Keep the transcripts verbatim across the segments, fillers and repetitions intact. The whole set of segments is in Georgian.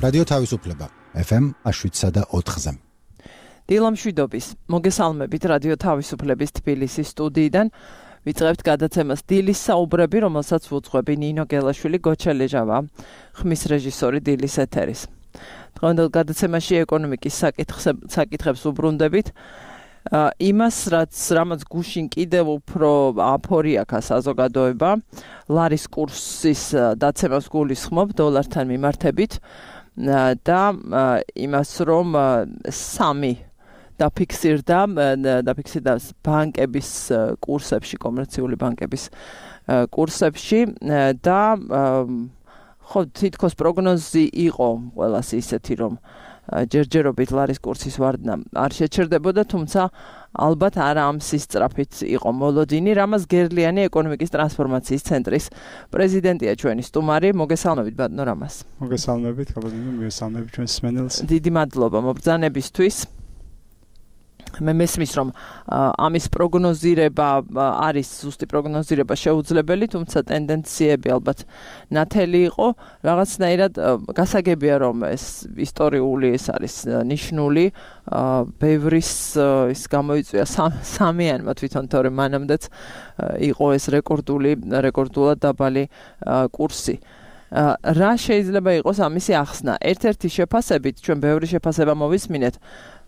რადიო თავისუფლება ეფ ემ შვიდსა და ოთხზე. დილამშვიდობის მოგესალმებით რადიო თავისუფლების თბილისის სტუდიიდან. ვიწყებთ გადაცემას დილის საუბრები, რომელსაც ვუძღვები ნინო გელაშვილი, გოჩა ლეჟავა, ხმის რეჟისორი დილის ეთერის. დღევანდელ გადაცემაში ეკონომიკის საკითხებს ვუბრუნდებით. იმას, რაც რამაც გუშინ კიდევ უფრო აფორი აქვს საზოგადოება, ლარის კურსის დაცემას გულისხმობ დოლართან მიმართებით და იმას, რომ სამი დაფიქსირდა დაფიქსირდა ბანკების კურსებში, კომერციული ბანკების კურსებში და ხო თითქოს პროგნოზი იყო ყველას ისეთი, რომ ჯერჯერობით ლარის კურსის ვარდნა არ შეჩერდებოდა, თუმცა ალბათ არა ამ სისწრაფით იყო მოლოდინი. რამაზ გერლიანი ეკონომიკის ტრანსფორმაციის ცენტრის პრეზიდენტია ჩვენი სტუმარი. მოგესალმებით ბატონო რამაზ. მოგესალმებით, გაბატონო, მოგესალმებით ჩვენს მსმენელს. დიდი მადლობა მობრძანებისთვის. მე მესმის, რომ ამის პროგნოზირება არის ზუსტი პროგნოზირება შეუძლებელი, თუმცა ტენდენციები ალბათ ნათელი იყო. რაღაცნაირად გასაგებია, რომ ეს ისტორიული ეს არის ნიშნული, ბევრის ის გამოიწვია სამიანმა თვითონ, თორემ მანამდეც იყო ეს რეკორდული, რეკორდულად დაბალი კურსი. რა შეიძლება იყოს ამისი ახსნა? ერთ-ერთი შეფასებით, ჩვენ ბევრი შეფასება მოვისმინეთ,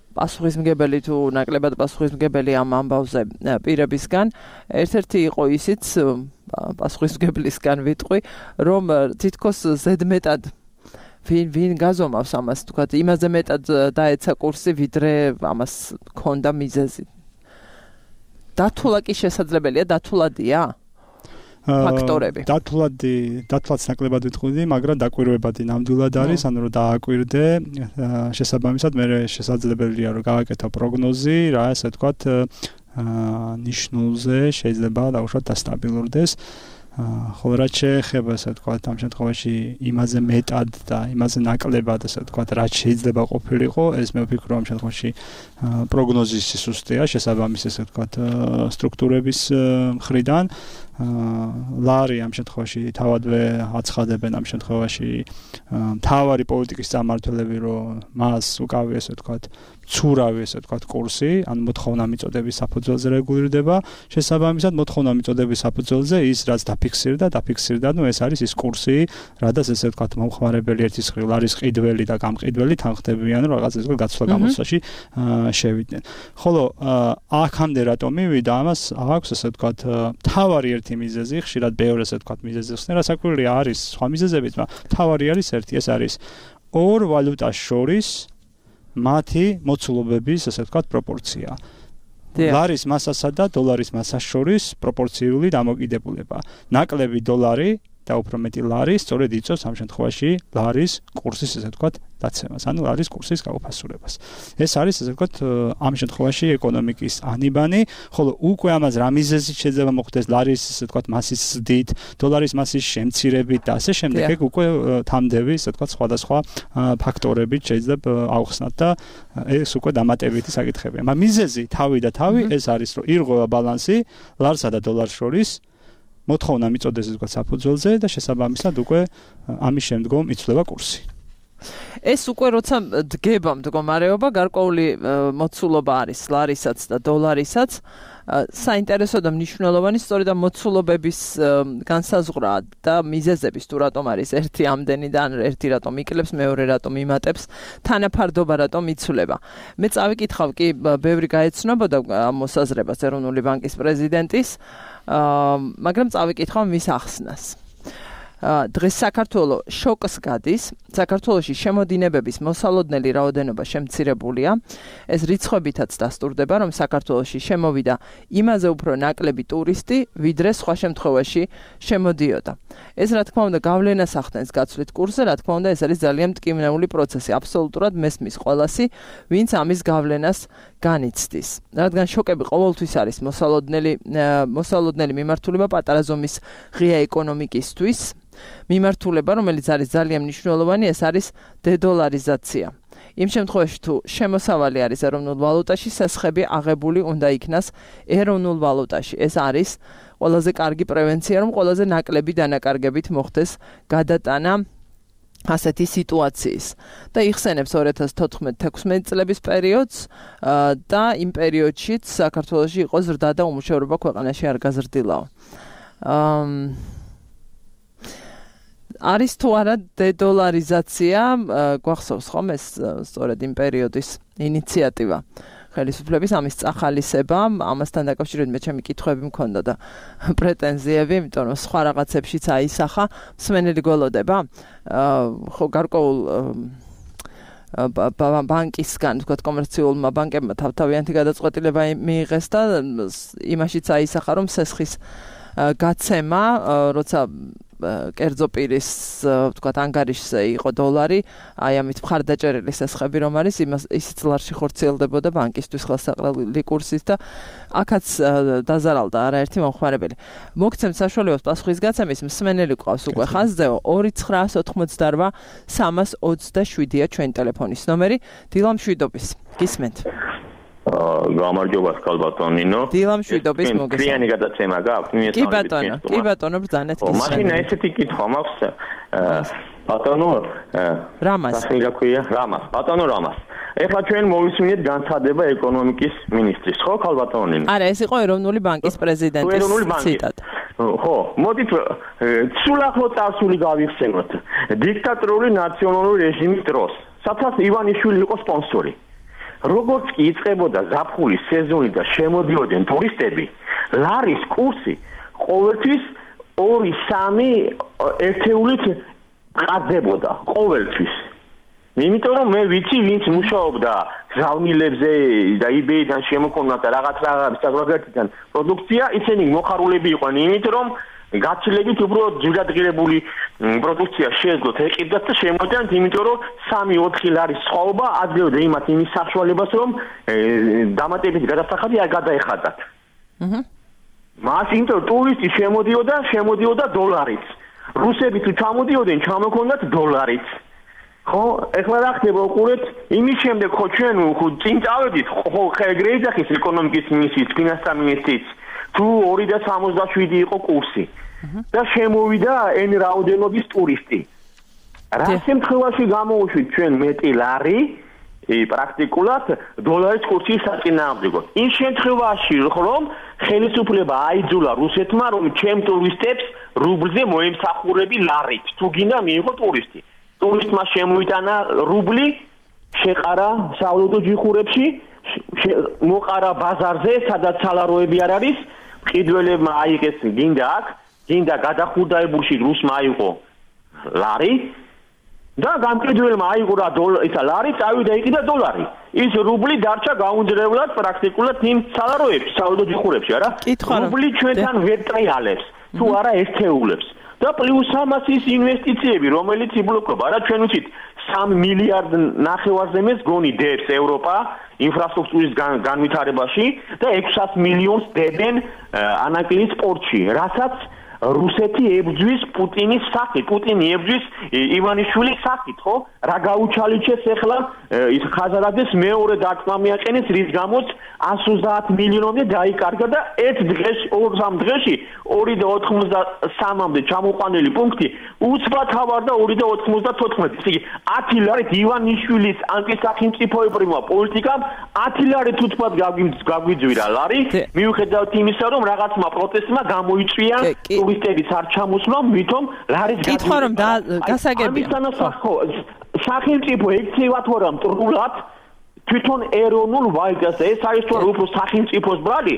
პასუხისმგებელი თუ ნაკლებად პასუხისმგებელი ამ ამბავზე პირებისგან, ერთ-ერთი იყო ისიც პასუხისმგებლისგან ვიტყვი, რომ თითქოს ზედმეტად ვინ ვინ გაზომავს ამას, თქვათ, იმაზე მეტად დაეცა კურსი, ვიდრე ამას ქონდა მიზეზი. დათულა კი შესაძლებელია, დათულადია ფაქტორები. დათვლადი, დათვლაც ნაკლებად ვიტყვი, მაგრამ დაკვირვებადი ნამდვილად არის, ანუ რომ დააკვირდე, შესაბამისად მე შესაძლებელია რომ გავაკეთო პროგნოზი, რა ასე ვთქვათ, ნიშნულზე შეიძლება დაუშვათ დასტაბილურდეს. ხოლო რაც შეეხება, ასე ვთქვათ, ამ შემთხვევაში იმაზე მეტად და იმაზე ნაკლებად, ასე ვთქვათ, რაც შეიძლება ყოფილიყო, ეს მე ვფიქრობ, ამ შემთხვევაში პროგნოზის სისუსტეა, შესაბამისი, ასე ვთქვათ, სტრუქტურების მხრიდან. ლარი ამ შემთხვევაში თავადვე აცხადებენ ამ შემთხვევაში მთავარი პოლიტიკის წარმმართველები, რომ მას უკავია, ასე ვთქვათ, ცურავი, ასე ვთქვათ, კურსი, ან მოთხოვნა მიწოდების საფუძველზე რეგულირდება. შესაბამისად, მოთხოვნა მიწოდების საფუძველზე ის რაც დაფიქსირდა, დაფიქსირდა, ნუ ეს არის ის კურსი, რადგან ესე ვთქვათ, მომხმარებელი ერთის მხრივ ლარის ყიდველი და გამყიდველი თანხდებიან, რომ რაღაც ესე გაცვლა გამოცდაში შევიდნენ. ხოლო აქამდე რატომ მივიდა, ამას აქვს, ასე ვთქვათ, თავარი ერთი მიზეზი, ხშირად ბევრი ასე ვთქვათ მიზეზი ხსნე, რასაკვირველია არის სხვა მიზეზებიც, მაგრამ თავარი არის ერთი, ეს არის ორ ვალუტას შორის მათი მოცულობების, ასე ვთქვათ, პროპორცია. ლარის მასასა და დოლარის მასას შორის პროპორციული დამოკიდებულება. ნაკლები დოლარი და უფრო მეტი ლარი სწორედ იწვევს ამ შემთხვევაში ლარის კურსის, ასე ვთქვათ, დაცემას, ანუ ლარის კურსის გაუფასურებას. ეს არის, ასე ვთქვათ, ამ შემთხვევაში ეკონომიკის ანიბანი, ხოლო უკვე ამას რა მიზეზით შეიძლება მოხდეს ლარის, ასე ვთქვათ, მასის ზრდით, დოლარის მასის შემცირებით და ასე შემდეგ, ეგ უკვე თამდები, ასე ვთქვათ, სხვადასხვა ფაქტორებით შეიძლება ავხსნათ და ეს უკვე დამატებითი საკითხებია. მაგრამ მიზეზი თავი და თავი ეს არის, რომ ირღვევა ბალანსი ლარსა და დოლარს შორის, მოთხოვნა მიწოდეს ვთქვათ საფუძველზე და შესაბამისად უკვე ამის შემდგომ იცვლება კურსი. ეს უკვე როცა დგება მდგომარეობა, გარკვეული მოცულობა არის ლარისაც და დოლარისაც, საინტერესო და მნიშვნელოვანი სწორედ ამ მოცულობების განსაზღვრა და მიზეზების, თუ რატომ არის ერთი ამდენი და ერთი რატომ იკლებს, მეორე რატომ იმატებს, თანაფარდობა რატომ იცვლება. მე წავიკითხავ კი ბევრი გაეცნობოდა ამ მოსაზრებას ეროვნული ბანკის პრეზიდენტის, მაგრამ წავიკითხავ მის ახსნას. დღეს საქართველო შოკს გადის, საქართველოში შემოდინებების მოსალოდნელი რაოდენობა შემცირებულია. ეს რიცხვებითაც დასტურდება, რომ საქართველოში შემოვიდა იმაზე უფრო ნაკლები ტურისტი, ვიდრე სხვა შემთხვევაში შემოდიოდა. ეს რა თქმა უნდა გავლენას ახდენს გაცვლით კურსზე, რა თქმა უნდა ეს არის ძალიან მტკივნეული პროცესი. აბსოლუტურად მესმის ყველასი, ვინც ამის გავლენას განიცდის. რადგან შოკები ყოველთვის არის მოსალოდნელი მოსალოდნელი მიმართულება პატარა ზომის ღია ეკონომიკისთვის. მიმართულება, რომელიც არის ძალიან მნიშვნელოვანი, ეს არის დედოლარიზაცია. იმ შემთხვევაში თუ შემოსავალი არის ეროვნულ ვალუტაში, სასხები აღებული უნდა იქნას ეროვნულ ვალუტაში. ეს არის ყველაზე კარგი პრევენცია, რომ ყველაზე ნაკლები დანაკარგებით მოხდეს გადატანა ასეთი სიტუაციის და იხსენებს ორი ათას თოთხმეტ-თექვსმეტ წლების პერიოდს და იმ პერიოდშიც საქართველოში იყო ზრდა და უმუშევრობა ქვეყანაში არ გაზრდილაო. არის თუ არა დედოლარიზაცია, გვახსოვს ხომ ეს სწორედ იმ პერიოდის ინიციატივა. ხელისუფლების ამის წახალისება, ამასთან დაკავშირებით მე ჩემი კითხვები მქონდა და პრეტენზიები, იმიტომ რომ სხვა რაღაცებშიც აისახა, მსმენელი გველოდება. ხო გარკვეულ ბანკისგან, თქვათ კომერციულმა ბანკებმა თავთავიანთი გადაწყვეტილება მიიღეს და იმაშიც აისახა, რომ სესხის გაცემა, როცა კერძო პირის, ვთქვათ, ანგარიშზე იყო დოლარი, აი ამით მხარდაჭერილი სესხები რომ არის, იმას ისიც ლარში ხორციელდებოდა ბანკისთვის ხელსაყრელი კურსით და აქაც დაზარალდა არაერთი მომხმარებელი. მოგცემთ საშუალებას პასუხის გაცემის, მსმენელი ყავს უკვე ხაზზეო ორი ცხრაას ოთხმოცდარვა სამას ოცდაშვიდია ჩვენი ტელეფონის ნომერი. დილა მშვიდობის. გისმენთ. გამარჯობა სკალბატონინო. დილა მშვიდობის მოგესალმებით. კრიანი გადაცემა გაქვთ? კი ბატონო, კი ბატონო, ბრძანეთ გისმენთ. მაშინ ესეთი კითხვა მაქვს ბატონო რამას. სახელი რა ქვია? რამას. ბატონო რამას. ეხლა ჩვენ მოვისმინეთ განცხადება ეკონომიკის მინისტრის, ხო, ქალბატონინო? არა, ეს იყო ეროვნული ბანკის პრეზიდენტის ციტატა. ხო, მოდით სულ ახლო წარსული გავიხსენოთ. დიქტატორული ნაციონალური რეჟიმის დროს, სადაც ივანიშვილი იყო სპონსორი. როგორც კი იწყებოდა ზაფხულის სეზონი და შემოდიოდნენ ტურისტები, ლარის კურსი ყოველთვის ორი სამი ერთეულით ყარდებოდა ყოველთვის. იმიტომ რომ მე ვიცი, ვინც მუშაობდა გზავნილებზე და იბეიდან შემოქონდა რაღაც რაღაცის საზოგადოებიდან პროდუქცია, ისინი მოხარულები იყვნენ, იმიტომ რომ გაცილებით უფრო ძვირადღირებული პროდუქცია შეეძლოთ ეკიდათ და შემოდიოდნენ, იმიტომ რომ სამი ოთხი ლარის სხვაობა აძლევდა იმათ იმის საშუალებას, რომ დამატებით გადასახადი არ გადაეხადათ. აჰა. მაშინ თუ ტურისტი შემოდიოდა, შემოდიოდა დოლარით. რუსები თუ ჩამოდიოდნენ, ჩამოქონდათ დოლარით. ხო, ეხლა რა ხდება უყურეთ, იმის შემდეგ ხო ჩვენ ხო წინ წავედით, ხო ხეგრეიძახის ეკონომიკის მინისტრის, ფინანსთა მინისტრის თუ ორი და სამოცდაშვიდი იყო კურსი. და შემოვიდა ენ რაოდენობის ტურისტი. რა შემთხვევაში გამოვუშვით ჩვენ მეტი ლარი, პრაქტიკულად დოლარის კურსის საწინააღმდეგოდ. იმ შემთხვევაში რომ ხელისუფლება აიძულა რუსეთმა, რომ ჩემ ტურისტებს რუბლზე მოემსახურები ლარით, თუ გინდა მიიღო ტურისტი. ტურისტმა შემოიტანა რუბლი, შეყარა საავადმყოფო ჯიხურებში, მოყარა ბაზარზე, სადაც სალაროები არ არის, მყიდველებმა აიღეს გინდა აქ, გინდა გადახურდაებულში რუსმა აიღო ლარი და გამყიდველმა აიღო რა ისა ლარი, წავიდა იყიდა დოლარი. ის რუბლი დარჩა გაუნძრევლად პრაქტიკულად იმ სალაროებში, საავადმყოფო ჯიხურებში, არა? რუბლი ჩვენთან ვერ ტრიალებს, თუ არა ერთეულებს. და პლუს ამას ის ინვესტიციები, რომელიც იბლოკდება, რა ჩვენ ვიცით, სამი მილიარდ ნახევარზე მეს გონი დებს ევროპა ინფრასტრუქტურის განვითარებაში და ექვსას მილიონს დებენ ანაკლის სპორტში, რასაც რუსეთი ებრძვის პუტინის სახით, პუტინი ებრძვის ივანიშვილის სახით, ხო? რა გაუჩალიჩეს ახლა ის ხაზარაძეს მეორე დარტყმა მიაყენეს, რის გამოც ას ოცდაათ მილიონამდე დაიკარგა და ერთ დღეში, ორ სამ დღეში ორი და ოთხმოცდასამამდე ჩამოყვანილი პუნქტი უცბათავარდა ორი და ოთხმოცდათოთხმეტი. ესე იგი, ათი ლარით ივანიშვილის ანტისახელმწიფოებრივმა პოლიტიკამ ათი ლარით უცბად გაგვიძვირა ლარი, მიუხედავად იმისა, რომ რაღაცმა პროტესტმა გამოიწვია ტურისტების არ ჩამოსვლამ, ვითომ ლარის კითხვა რომ გასაგებია. სახელმწიფო ექცევა თუ არა მტრულად თვითონ ეროვნულ ვალუტას, ეს არის თუ არა უფრო სახელმწიფოს ბრალი,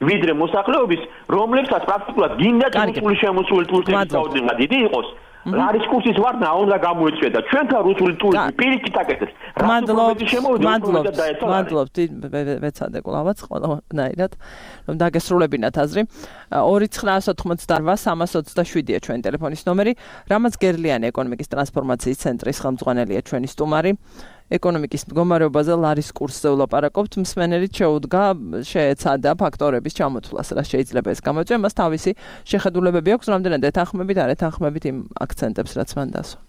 ვიდრე მოსახლეობის, რომლებსაც პრაქტიკულად გინდა რუსული შემოსული ტურისტების რაოდენობა დიდი იყოს. ლარის კურსის ვარდნა უნდა გამოიწვია და ჩვენთან რუსული ტურისტი პირიქით აკეთებს. მადლობთ, მადლობთ, მადლობთ, ვეცადე კლავაც ყველანაირად, რომ დაგესრულებინათ აზრი. ორი ცხრაას ოთხმოცდარვა სამას ოცდაშვიდია ჩვენი ტელეფონის ნომერი. რამაც გერლიანი ეკონომიკის ტრანსფორმაციის ცენტრის ხელმძღვანელია ჩვენი სტუმარი. ეკონომიკის მდგომარეობაზე ლარის კურსზე ვლაპარაკობთ, მსმენელით შეუდგა შეეცადა ფაქტორების ჩამოთვლას, რა შეიძლება ეს გამოიწვია, მას თავისი შეხედულებები აქვს, რამდენად ეთანხმებით, არ ეთანხმებით იმ აქცენტებს, რაც მან დასვა.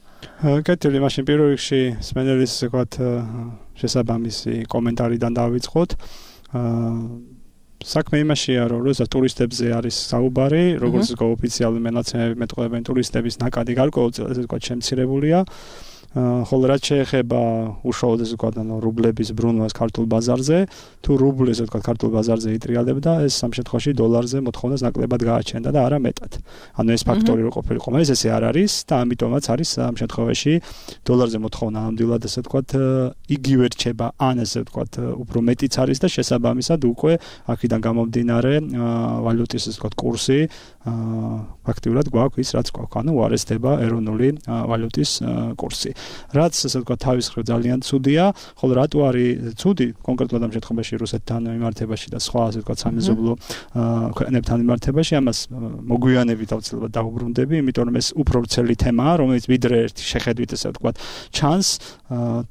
კეთილი, მაშინ პირველ რიგში მსმენელის ვთქვათ შესაბამისი კომენტარიდან დავიწყოთ. საქმე იმაშია, რომ როცა ტურისტებზე არის საუბარი, როგორც ოფიციალური მონაცემები მეტყველებენ ტურისტების ნაკადი გარკვეულწილად, ესე ვთქვათ, შემცირებულია. ხოლო რაც შეეხება უშუალოდ ესე ვთქვათ, ანუ რუბლების ბრუნვას ქართულ ბაზარზე, თუ რუბლი ესე ვთქვათ ქართულ ბაზარზე იტრიალებდა, ეს ამ შემთხვევაში დოლარზე მოთხოვნას ნაკლებად გააჩენდა და არა მეტად. ანუ ეს ფაქტორი რო ყოფილიყო, მაგრამ ესე არ არის და ამიტომაც არის ამ შემთხვევაში დოლარზე მოთხოვნა ამდვილად ესე ვთქვათ იგივე რჩება, ან ესე ვთქვათ უფრო მეტიც არის და შესაბამისად უკვე აქედან გამომდინარე ვალუტის ესე ვთქვათ კურსი ფაქტიურად გვაქვს ის რაც გვაქვს, ანუ უარესდება ეროვნული ვალუტის კურსი. რაც ასე ვთქვათ თავის მხრივ ძალიან ცუდია, ხოლო რატო არის ცუდი კონკრეტულად ამ შემთხვევაში რუსეთთან მიმართებაში და სხვა ასე ვთქვათ სამეზობლო ქვეყნებთან მიმართებაში, ამას მოგვიანებით აუცილებლად დავუბრუნდები, იმიტომ რომ ეს უფრო ვრცელი თემაა, რომელიც ვიდრე ერთი შეხედვით ასე ვთქვათ ჩანს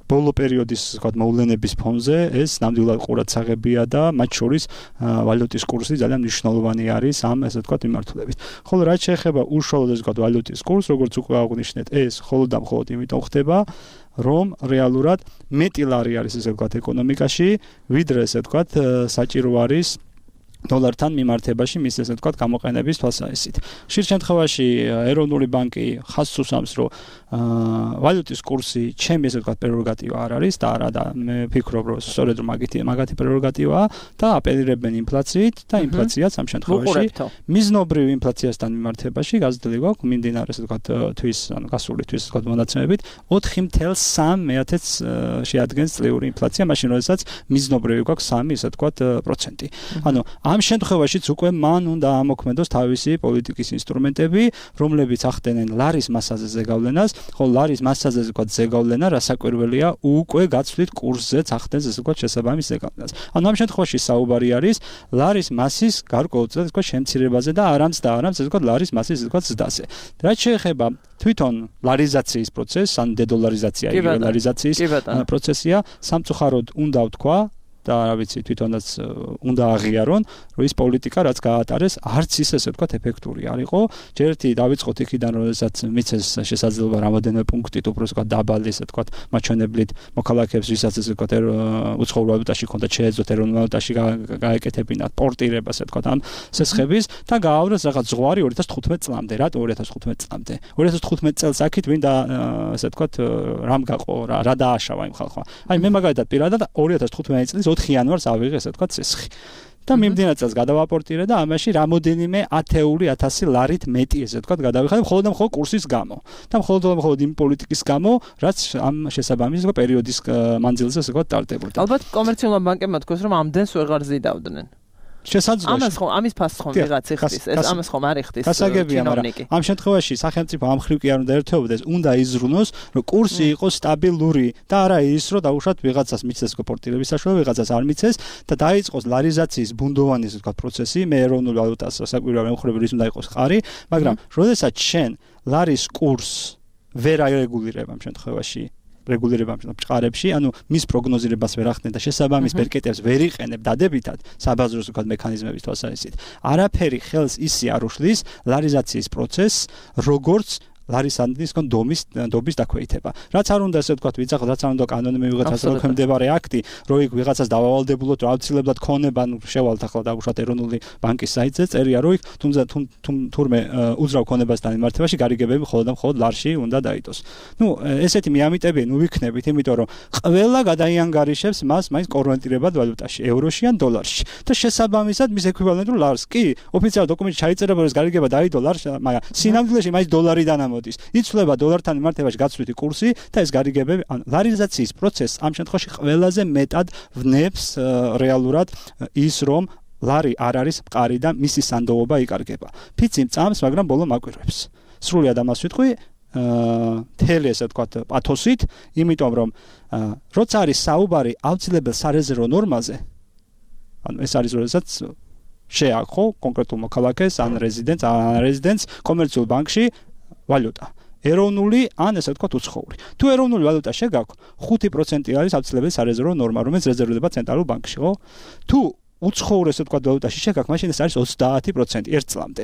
ბოლო პერიოდის ასე ვთქვათ მოვლენების ფონზე ეს ნამდვილად ყურადსაღებია და მათ შორის ვალუტის კურსი ძალიან მნიშვნელოვანი არის ამ ასე ვთქვათ მიმართულებით. ხოლო რაც შეეხება უშუალოდ ასე ვთქვათ ვალუტის კურსს, როგორც უკვე აღვნიშნეთ, ეს მხოლოდ და მხოლოდ იმიტომ ხდება, რომ რეალურად მეტი ლარი არის ესე ვთქვათ ეკონომიკაში, ვიდრე ესე ვთქვათ საჭირო არის დოლართან მიმართებაში მის ესე ვთქვათ გამოყენების თვალსაზრისით. ხშირ შემთხვევაში ეროვნული ბანკი ხაზს უსვამს, რომ ვალუტის კურსი ჩემი ესე ვთქვათ პრეროგატივა არ არის და არა და მე ვფიქრობ, რომ სწორედ რომ მაგითი მაგათი პრეროგატივაა და აპელირებენ ინფლაციით და ინფლაციაც ამ შემთხვევაში მიზნობრივ ინფლაციასთან მიმართებაში გაზრდილი გვაქვს მიმდინარე ესე ვთქვათ თვის ანუ გასული თვის ესე ვთქვათ მონაცემებით ოთხი წუთი სამი მეათეც შეადგენს წლიური ინფლაცია, მაშინ როდესაც მიზნობრივი გვაქვს სამი ესე ვთქვათ პროცენტი. ანუ ამ შემთხვევაშიც უკვე მან უნდა ამოქმედოს თავისი პოლიტიკის ინსტრუმენტები, რომლებიც ახდენენ ლარის მასაზე ზეგავლენას, ხოლო ლარის მასაზე ვთქვათ ზეგავლენა რასაკვირველია უკვე გაცვლით კურსზეც ახდენს ესე ვთქვათ შესაბამის ზეგავლენას. ანუ ამ შემთხვევაში საუბარი არის ლარის მასის გარკვეულწილად ვთქვათ შემცირებაზე და არამც და არამც ესე ვთქვათ ლარის მასის ესე ვთქვათ ზრდაზე. რაც შეეხება თვითონ ლარიზაციის პროცესს, ან დედოლარიზაცია იგივე ლარიზაციის პროცესია, სამწუხაროდ უნდა ვთქვა და რა ვიცი თვითონაც უნდა აღიარონ, რომ ის პოლიტიკა რაც გაატარეს, არც ის ესე ვთქვათ ეფექტური არ იყო. ჯერ ერთი დავიწყოთ იქიდან, როდესაც მიცეს შესაძლებლობა რამოდენიმე პუნქტით უფრო ვთქვათ დაბალი ესე ვთქვათ მაჩვენებლით მოქალაქეებს, ვისაც ესე ვთქვათ უცხოურ ვალუტაში ქონდათ შეეძლოთ ეროვნულ ვალუტაში გაეკეთებინათ პორტირება ესე ვთქვათ ამ სესხების და გაავრეს რაღაც ზღვარი ორი ათას თხუთმეტ წლამდე. რატო ორი ათას თხუთმეტ წლამდე? ორი ათას თხუთმეტ წელს აქეთ ვინდა ესე ვთქვათ რამ გაყო რა რა დააშავა იმ ხალხმა. აი მე მაგალითად პირადად ორი ათას თხუთმეტ წლის ოთხი იანვარს ავიღე ესე ვთქვათ სესხი. და მიმდინარე წელს გადავაპორტირე და ამაში რამოდენიმე ათეული ათასი ლარით მეტი ესე ვთქვათ გადავიხადე მხოლოდ და მხოლოდ კურსის გამო. და მხოლოდ და მხოლოდ იმ პოლიტიკის გამო, რაც ამ შესაბამის პერიოდის მანძილზე ესე ვთქვათ ტარდებოდა. ალბათ კომერციულმა ბანკებმა თქვეს, რომ ამდენს ვეღარ ზიდავდნენ. შესაძლოა ამას ხომ ამის ფასს ხომ ვიღაც იხდის, ეს ამას ხომ არ იხდის ჩინოვნიკი. ამ შემთხვევაში სახელმწიფო ამ ხრივ კი არ უნდა ერთვებოდეს, უნდა იზრუნოს, რომ კურსი იყოს სტაბილური და არა ის, რომ დაუშვათ ვიღაცას მიცეს პორტირების საშუალება, ვიღაცას არ მიცეს და დაიწყოს ლარიზაციის ბუნდოვანი ესე ვთქვათ პროცესი, მე ეროვნულ ვალუტას საკვირველ მემხრეები ის უნდა იყოს ხარი, მაგრამ როდესაც შენ ლარის კურსს ვერ არეგულირებ ამ შემთხვევაში რეგულირება მჭყარებში, ანუ მის პროგნოზირებას ვერ ახდენ და შესაბამის ბერკეტებს ვერ იყენებ დადებითად საბაზრო ვთქვათ მექანიზმების თვალსაზრისით. არაფერი ხელს ისე არ უშლის ლარიზაციის პროცესს, როგორც ლარისანდის კონ დომის დობის დაქვეითება. რაც არ უნდა ესე ვთქვათ ვიცახოთ, რაც არ უნდა კანონი მივიღოთ ასე მოქმედებარე აქტი, რომ იქ ვიღაცას დავავალდებულოთ, რომ აუცილებლად ქონება, ნუ შევალთ ახლა დავუშვათ ეროვნული ბანკის საიტზე, წერია რომ იქ თუმცა თურმე უძრავ ქონებასთან მიმართებაში გარიგებები მხოლოდ და მხოლოდ ლარში უნდა დაიდოს. ნუ ესეთი მიამიტები ნუ ვიქნებით, იმიტომ რომ ყველა გადაიანგარიშებს მას მაინც კონვერტირებად ვალუტაში, ევროში ან დოლარში. და შესაბამისად მის ეკვივალენტურ ლარს კი ოფიციალურ დოკუმენტში ჩაიწერა, რომ ეს გარიგება დაიდო ლარში, მაგრამ სინამდვილეში მაინც დოლარიდან იცვლება დოლართან მიმართებაში გაცვლითი კურსი და ეს გარიგებები ან ლარიზაციის პროცესს ამ შემთხვევაში ყველაზე მეტად ვნებს რეალურად ის რომ ლარი არ არის მყარი და მისი სანდოობა იკარგება. ფიცი წამს, მაგრამ ბოლო მაკვირვებს. სრულად ამას ვიტყვი თელი ესე ვთქვათ პათოსით, იმიტომ რომ როცა არის საუბარი აუცილებელ სარეზერვო ნორმაზე, ანუ ეს არის როდესაც შეაქო კონკრეტულ მოქალაქეს ან რეზიდენტს ან რეზიდენტს კომერციულ ბანკში ვალუტა. ეროვნული ან ესე ვთქვათ უცხოური. თუ ეროვნული ვალუტა შეგაქვს, ხუთი პროცენტი არის აუცილებელი სარეზერვო ნორმა, რომელიც რეზერვდება ცენტრალურ ბანკში, ხო? თუ უცხოური ესე ვთქვათ ვალუტაში შეგაქვს, მაშინ ეს არის ოცდაათი პროცენტი ერთ წლამდე.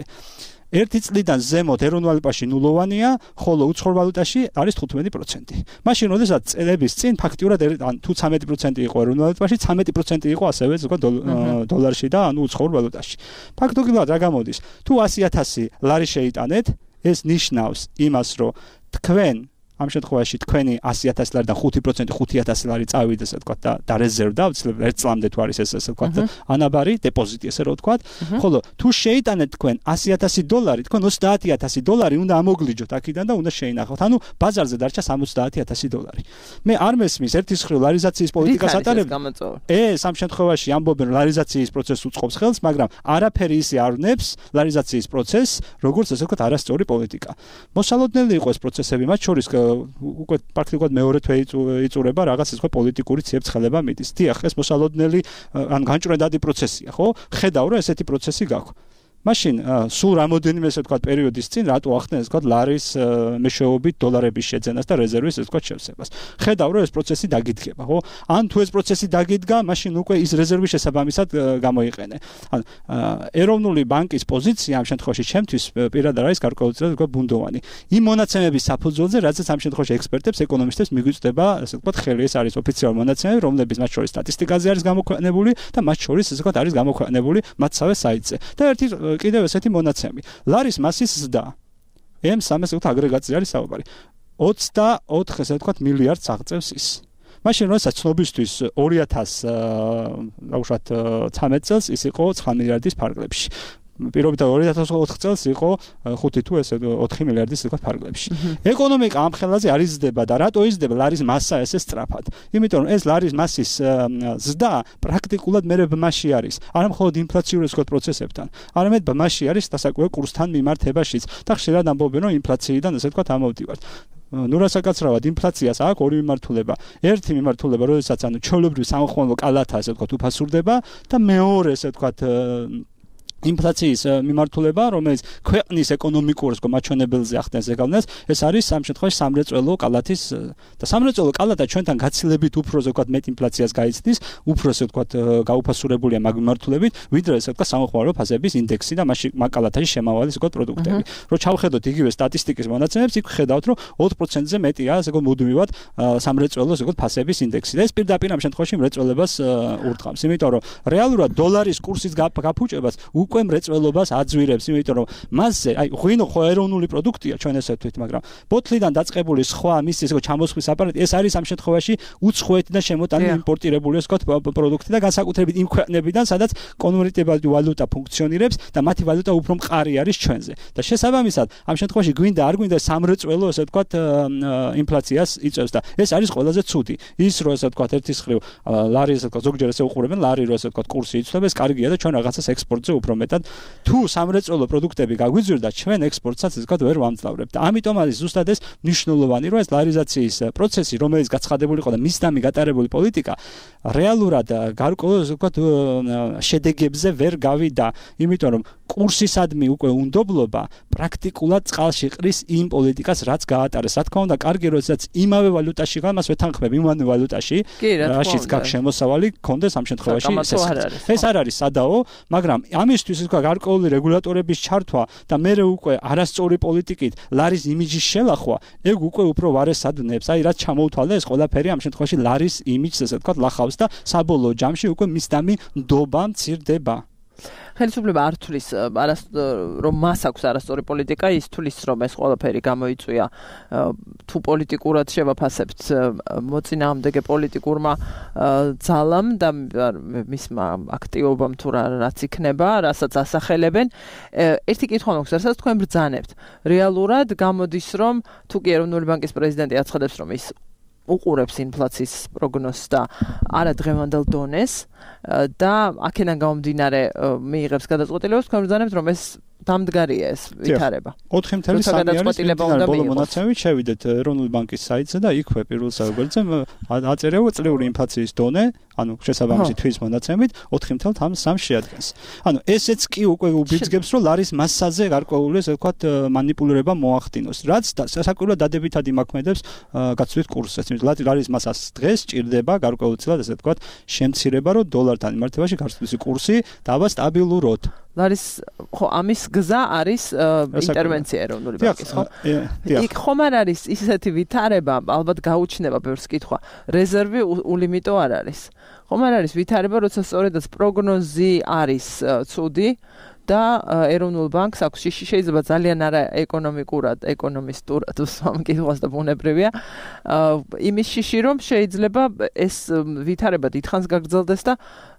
ერთი წლიდან ზემოთ ეროვნულ ვალუტაში ნულოვანია, ხოლო უცხოურ ვალუტაში არის თხუთმეტი პროცენტი. მაშინ როდესაც წლების წინ ფაქტიურად ან თუ ცამეტი პროცენტი იყო ეროვნულ ვალუტაში, ცამეტი პროცენტი იყო ასევე ზოგადად დოლარში და ანუ უცხოურ ვალუტაში. ფაქტობრივად რა გამოდის? თუ ასი ათასი ლარი შეიტანეთ, ეს ნიშნავს იმას, რომ თქვენ ამ შემთხვევაში თქვენი ასი ათასი ლარიდან ხუთი პროცენტი ხუთი ათასი ლარი წავიდეს, ასე ვთქვათ, და და რეზერვდა, აუცილებლად ერთ წლამდე თუ არის ეს, ასე ვთქვათ, ანაბარი დეპოზიტი, ესე რომ ვთქვათ. ხოლო თუ შეიტანეთ თქვენ ასი ათასი დოლარი, თქვენ ოცდაათი ათასი დოლარი უნდა ამოგლიჯოთ აქედან და უნდა შეინახოთ. ანუ ბაზარზე დარჩა სამოცდაათი ათასი დოლარი. მე არ მესმის ერთის მხრივ ლარიზაციის პოლიტიკას ატარებ. ეს ამ შემთხვევაში ამბობენ, რომ ლარიზაციის პროცესს უწყობს ხელს, მაგრამ არაფერი ისე არ ვნებს ლარიზაციის პროცესს, როგორც ასე ვთქვათ, არასწორი პოლიტიკა. მოსალოდნელი იყო ეს პროცესები, მათ შორის უკვე პრაქტიკულად მეორე თვე იწურება რაღაც ისე პოლიტიკური ციებ-ცხელება მიდის. დიახ, ეს მოსალოდნელი ან განჭვრეტადი პროცესია, ხო? ხედავ, რომ ესეთი პროცესი გაქვს. მაშინ სულ რამოდენიმე ესე ვთქვათ პერიოდის წინ რატო ახდენ ესე ვთქვათ ლარის მეშვეობით დოლარების შეძენას და რეზერვის ესე ვთქვათ შევსებას. ხედავ რომ ეს პროცესი დაგიდგება, ხო? ან თუ ეს პროცესი დაგიდგა, მაშინ უკვე ის რეზერვის შესაბამისად გამოიყენე. ან ეროვნული ბანკის პოზიცია ამ შემთხვევაში ჩემთვის პირადად არის გარკვეულწილად ვთქვათ ბუნდოვანი. იმ მონაცემების საფუძველზე, რადგან ამ შემთხვევაში ექსპერტებს, ეკონომისტებს მიგვიწვდება ესე ვთქვათ ხელი, ეს არის ოფიციალური მონაცემები, რომლებიც მათ შორის სტატისტიკაზე არის გამოქვეყნებული და მათ შორის ესე ვთქვათ არის გამოქვეყნებული მათსავე საიტზე. და ერთი კიდევ ესეთი მონაცემი. ლარის მასის ზრდა ემ სამი ვთქვათ აგრეგატზე არის საუბარი. ოცდაოთხ ესე ვთქვათ მილიარდს აღწევს ის. მაშინ როდესაც ცნობისთვის ორი ათასი აუშვათ ცხრამეტ წელს ის იყო ცხრა მილიარდის ფარგლებში. პირობითად ორი ათას ოთხ წელს იყო ხუთი თუ ესე ოთხი მილიარდის ისე ფარგლებში. ეკონომიკა ამ ხელაზე არ იზრდება და რატო იზრდება ლარის მასა ესე სწრაფად? იმიტომ რომ ეს ლარის მასის ზრდა პრაქტიკულად მერე ბმაში არის. არა მხოლოდ ინფლაციური ისე პროცესებთან, არამედ ბმაში არის დასაკვირველ კურსთან მიმართებაშიც და ხშირად ამბობენ რომ ინფლაციიდან ესე ვთქვათ ამოვდივართ. ნუ რასაკაცრავად ინფლაციას აქვს ორი მიმართულება. ერთი მიმართულება, როდესაც ანუ ჩვეულებრივ სამხმოვანო კალათა ესე ვთქვათ უფასურდება და მეორე ესე ვთქვათ ინფლაციის მიმართულება, რომელიც ქვეყნის ეკონომიკურ მაჩვენებელზე ახდენს ზეგავლენას, ეს არის ამ შემთხვევაში სამრეწველო კალათის და სამრეწველო კალათა ჩვენთან გაცილებით უფრო ზოგადად მეტ ინფლაციას გაიცდის, უფრო ასე ვთქვათ გაუფასურებულია მაგ მიმართულებით, ვიდრე ასე ვთქვათ სამხმოვანო ფასების ინდექსი და მასში მაგ კალათაში შემავალი ზოგადად პროდუქტები. რო ჩავხედოთ იგივე სტატისტიკის მონაცემებს, იქ ხედავთ, რომ ოთხ პროცენტზე მეტია ასე ვთქვათ მუდმივად სამრეწველო ზოგადად ფასების ინდექსი და ეს პირდაპირ ამ შემთხვევაში მრეწველებას ურტყამს, იმიტომ რომ რეალურად დოლარის კურსის გაფუჭებას უკვე მრეწველობას აძვირებს, იმიტომ რომ მასზე, აი, ღვინო ხო ეროვნული პროდუქტია ჩვენ ესე ვთქვით, მაგრამ ბოთლიდან დაწყებული სხვა მის ისე ჩამოსხვის აპარატი, ეს არის ამ შემთხვევაში უცხოეთიდან შემოტანილი იმპორტირებული ესე ვთქვათ პროდუქტი და განსაკუთრებით იმ ქვეყნებიდან, სადაც კონვერტირებული ვალუტა ფუნქციონირებს და მათი ვალუტა უფრო მყარი არის ჩვენზე. და შესაბამისად, ამ შემთხვევაში გვინდა არ გვინდა სამრეწველო ესე ვთქვათ ინფლაციას იწევს და ეს არის ყველაზე ცუდი. ის რო ესე ვთქვათ ერთის მხრივ ლარი ესე ვთქვათ ზოგჯერ ესე უყურებენ ლარი რო ესე ვთქვათ კურსი იცვლება, ეს კარგია და ჩვენ რაღაცას ექსპორტზე უფრო მეტად თუ სამრეწველო პროდუქტები გაგვიძვირდა, ჩვენ ექსპორტსაც ესე ვთქვათ ვერ ვამძლავრებთ. და ამიტომ არის ზუსტად ეს მნიშვნელოვანი, რომ ეს ლარიზაციის პროცესი, რომელიც გაცხადებული იყო და მისდამი გატარებული პოლიტიკა, რეალურად გარკვეულ ესე ვთქვათ შედეგებზე ვერ გავიდა, იმიტომ რომ კურსისადმი უკვე უნდობლობა პრაქტიკულად წყალში ყრის იმ პოლიტიკას, რაც გაატარეს. რა თქმა უნდა, კარგი როდესაც იმავე ვალუტაში გამას ვეთანხმებ იმავე ვალუტაში, რაშიც გაქვს შემოსავალი, კონდეს ამ შემთხვევაში ეს არ არის სადაო, მაგრამ ამისთვის ისე გარკვეული რეგულატორების ჩართვა და მე უკვე არასწორი პოლიტიკით ლარის იმიჯის შელახვა, ეგ უკვე უფრო ვარესად ვნებს. აი რაც ჩამოუთვალე ეს ყველაფერი ამ შემთხვევაში ლარის იმიჯს ესე ვთქვათ ლახავს და საბოლოო ჯამში უკვე მისდამი ნდობა მცირდება. ხელისუფლება არ თulis რომ მას აქვს არასწორი პოლიტიკა, ის თulis რომ ეს ყველაფერი გამოიწვია თუ პოლიტიკურად შევაფასებთ მოწინააღმდეგე პოლიტიკურმა ძალამ და მისმა აქტივობამ თუ რაც იქნება, რასაც ასახელებენ. ერთი კითხვა მაქვს, რასაც თქვენ ბრძანებთ. რეალურად გამოდის რომ თუ კი ეროვნული ბანკის პრეზიდენტი აცხადებს რომ ის უყურებს ინფლაციის პროგნოზს და არა დღევანდელ დონეს და აქედან გამომდინარე მიიღებს გადაწყვეტილებას, თქვენ ბრძანებთ რომ ეს დამდგარია ეს ვითარება. ოთხი წელი არის ბოლო მონაცემებით შევიდეთ ეროვნული ბანკის საიტზე და იქვე პირველ საუბარზე აწერეო წლიური ინფლაციის დონე, ანუ შესაბამისი თვის მონაცემით ოთხი წელი სამი შეადგენს. ანუ ესეც კი უკვე უბიძგებს რომ ლარის მასაზე გარკვეული ესე ვთქვათ მანიპულირება მოახდინოს, რაც სასაკვირველად დადებითად იმაქმედებს გაცვლით კურსს. ლარის მასას დღეს ჭირდება გარკვეულწილად ესე ვთქვათ შემცირება, რომ დოლართან მიმართებაში გაცვლის კურსი დავა სტაბილუროთ. ლარის ხო ამის გზა არის ინტერვენცია ეროვნული ბანკის, ხო? იქ ხომ არ არის ისეთი ვითარება, ალბათ გაუჩნდება ბევრს კითხვა. რეზერვი ულიმიტო არ არის. ხომ არ არის ვითარება, როცა სწორედაც პროგნოზი არის ცუდი და ეროვნულ ბანკს აქვს შიში შეიძლება ძალიან არა ეკონომიკურად, ეკონომისტურად ვსვამ კითხვას და ბუნებრივია. იმის შიში რომ შეიძლება ეს ვითარება დიდხანს გაგრძელდეს და